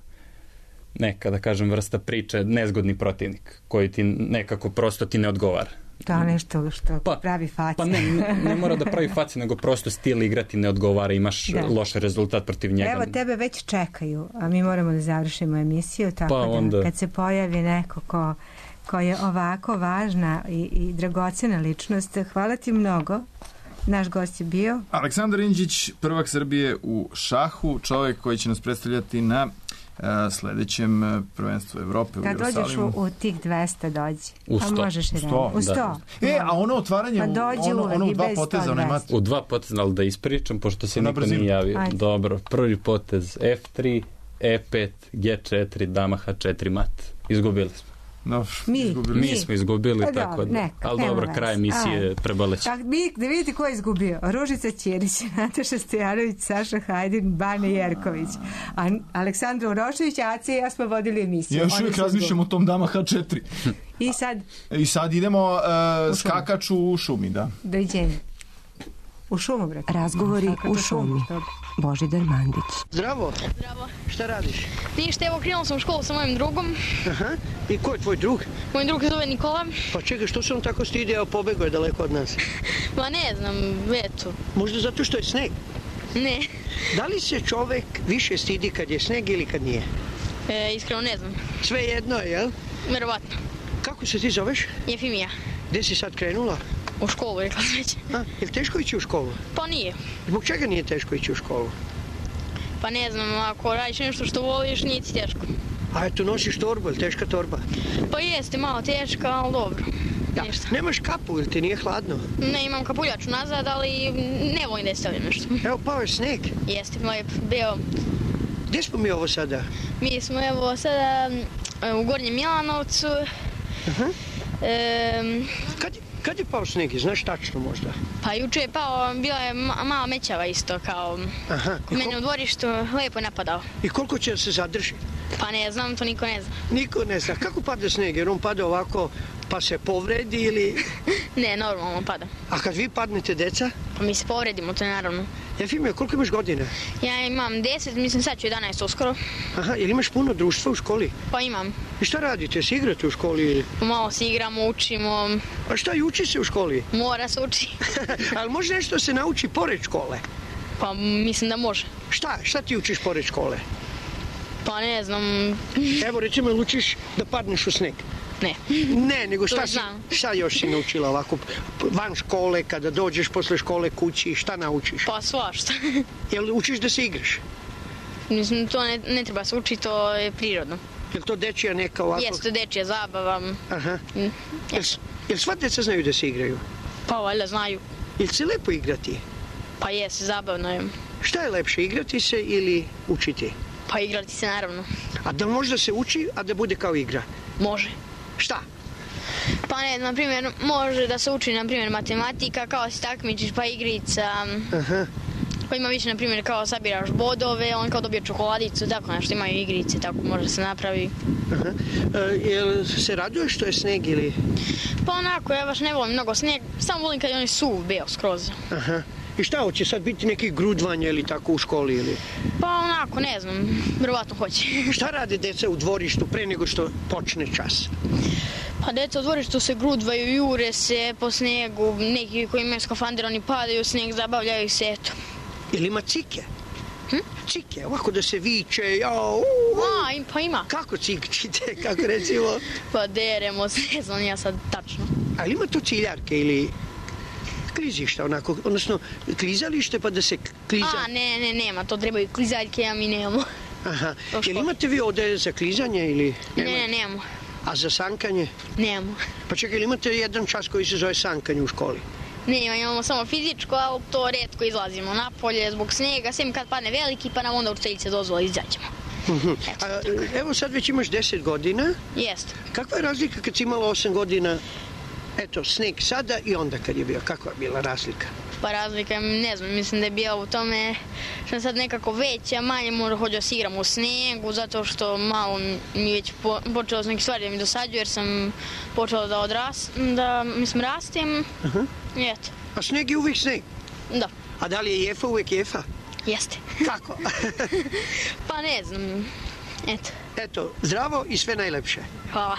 neka, da kažem, vrsta priče, nezgodni protivnik, koji ti nekako prosto ti ne odgovara. To je nešto što pa, pravi faci. Pa ne, ne, ne mora da pravi faci, nego prosto stil igrati ne odgovara, imaš da. loš rezultat protiv njega. Evo, tebe već čekaju, a mi moramo da završimo emisiju, tako pa, da onda... kad se pojavi neko ko, ko je ovako važna i, i dragocena ličnost, hvala ti mnogo. Naš gost je bio Aleksandar Indžić, prvak Srbije u šahu, čovjek koji će nas predstavljati na uh, sledećem prvenstvu Evrope u Jerusalimu. Kad dođeš u, u tih dvesta dođi. U sto. A možeš i sto, u sto. Da. E, a ono otvaranje, pa dođi ono, ono u dva bez poteza, onaj mat. U dva poteza, ali da ispričam, pošto se niko nije javio. Ajde. Dobro, prvi potez F tri, E pet, G četiri, dama H četiri mat. Izgubili smo. No, mi, izgubili. mi smo izgubili, pa tako da. Neka, ali dobro, kraj emisije prebaleći. Da vidite ko je izgubio. Ružica Ćirić, Nataša Stojanović, Saša Hajdin, Bane Jerković. A Aleksandra Urošević, Aca i ja smo vodili emisiju. Ja još uvijek razmišljam o tom dama H četiri. I sad? I sad idemo uh, skakač u šumi, da. Doviđenja. U šumu, bre. Razgovori u šumi. Božidar Mandić. Zdravo. Zdravo. Šta radiš? Ništa, evo krenula sam u školu sa mojim drugom. Aha. I ko je tvoj drug? Moj drug se zove Nikola. Pa čekaj, što se on tako stidi, evo pobegao je daleko od nas? Ma ne znam, eto. Možda zato što je sneg? Ne. Da li se čovek više stidi kad je sneg ili kad nije? E, iskreno ne znam. Sve jedno je, jel? Verovatno. Kako se ti zoveš? Jefimija. Gde si sad krenula? U školu, rekla sam već. A, je li teško ići u školu? Pa nije. Zbog čega nije teško ići u školu? Pa ne znam, ako radiš nešto što voliš, nije ti teško. A eto, nosiš torbu, je li teška torba? Pa jeste, malo teška, ali dobro. Da. Ništa. Nemaš kapu, ili ti nije hladno? Ne, imam kapuljaču nazad, ali ne volim da je stavljam nešto. Evo, pao je sneg. Jeste, lep, bio. Gdje smo mi ovo sada? Mi smo evo sada u Gornjem Milanovcu. Aha. E, kad, kad je pao sneg, znaš tačno možda? Pa juče je pao, bila je ma, mala mećava isto, kao Aha. kod mene u dvorištu, lepo je napadao. I koliko će se zadrži? Pa ne znam, to niko ne zna. Niko ne zna. Kako pada sneg? Jer on pada ovako pa se povredi ili... Ne, normalno pada. A kad vi padnete, deca? Pa mi se povredimo, to je naravno. Jefimija, koliko imaš godina? Ja imam deset, mislim sad ću jedanaest uskoro. Aha, ili imaš puno društva u školi? Pa imam. I šta radite? Se igrate u školi? Malo se igramo, učimo. A šta, i uči se u školi? Mora se uči. Ali može nešto se nauči pored škole? Pa mislim da može. Šta? Šta ti učiš pored škole? Pa ne znam. Evo recimo, ili učiš da padneš u sneg? Ne. Ne, nego šta, si, šta još si naučila ovako van škole, kada dođeš posle škole kući, šta naučiš? Pa svašta. Jel učiš da se igraš? Mislim, to ne, ne treba se učiti, to je prirodno. Jel to dečija neka ovako? Jeste, dečija zabava. Aha. Jel, jel sva deca znaju da se igraju? Pa valjda znaju. Jel se lepo igrati? Pa jeste, zabavno je. Šta je lepše, igrati se ili učiti? Pa igrati se naravno. A da možda se uči, a da bude kao igra? Može. Šta? Pa ne, na primjer, može da se uči, na primjer, matematika, kao si takmičiš, pa igrica. Aha. Pa ima više, na primjer, kao sabiraš bodove, on kao dobije čokoladicu, tako nešto, imaju igrice, tako može se napravi. Aha. E, jel se raduje što je sneg ili? Pa onako, ja baš ne volim mnogo sneg, samo volim kad je on suv, bio skroz. Aha. I šta, hoće sad biti neki grudvanje ili tako u školi ili? Pa onako, ne znam, vjerovatno hoće. Šta rade deca u dvorištu pre nego što počne čas? Pa deca u dvorištu se grudvaju, jure se po snegu, neki koji imaju skafander, oni padaju u sneg, zabavljaju se, eto. Ili ima cike? Hm? Cike, ovako da se viče, jao, A, pa ima. Kako cikčite, kako recimo? Pa deremo se, ne znam ja sad tačno. Ali ima to ciljarke ili klizišta, onako, odnosno klizalište pa da se kliza... A, ne, ne, nema, to trebaju klizaljke, a mi nemamo. Aha, jel imate vi ovde za klizanje ili... Ne, ne, nemamo. A za sankanje? Nemamo. Pa čekaj, ili imate jedan čas koji se zove sankanje u školi? Ne, imamo samo fizičko, ali to retko izlazimo napolje zbog snega, sem kad padne veliki, pa nam onda učiteljice dozvola izađemo. A, evo sad već imaš deset godina. Jeste. Kakva je razlika kad si imala osam godina, eto, sneg sada i onda kad je bio? Kakva je bila razlika? Pa razlika, ne znam, mislim da je bila u tome što sam sad nekako veća, manje možda hođu da se igram u snegu, zato što malo mi već po, počelo s neke stvari da mi dosađu, jer sam počela da odras, da, mislim, rastim. Uh-huh. I eto. A sneg je uvijek sneg? Da. A da li je jefa uvijek jefa? Jeste. Kako? Pa ne znam, eto. Eto, zdravo i sve najlepše. Hvala.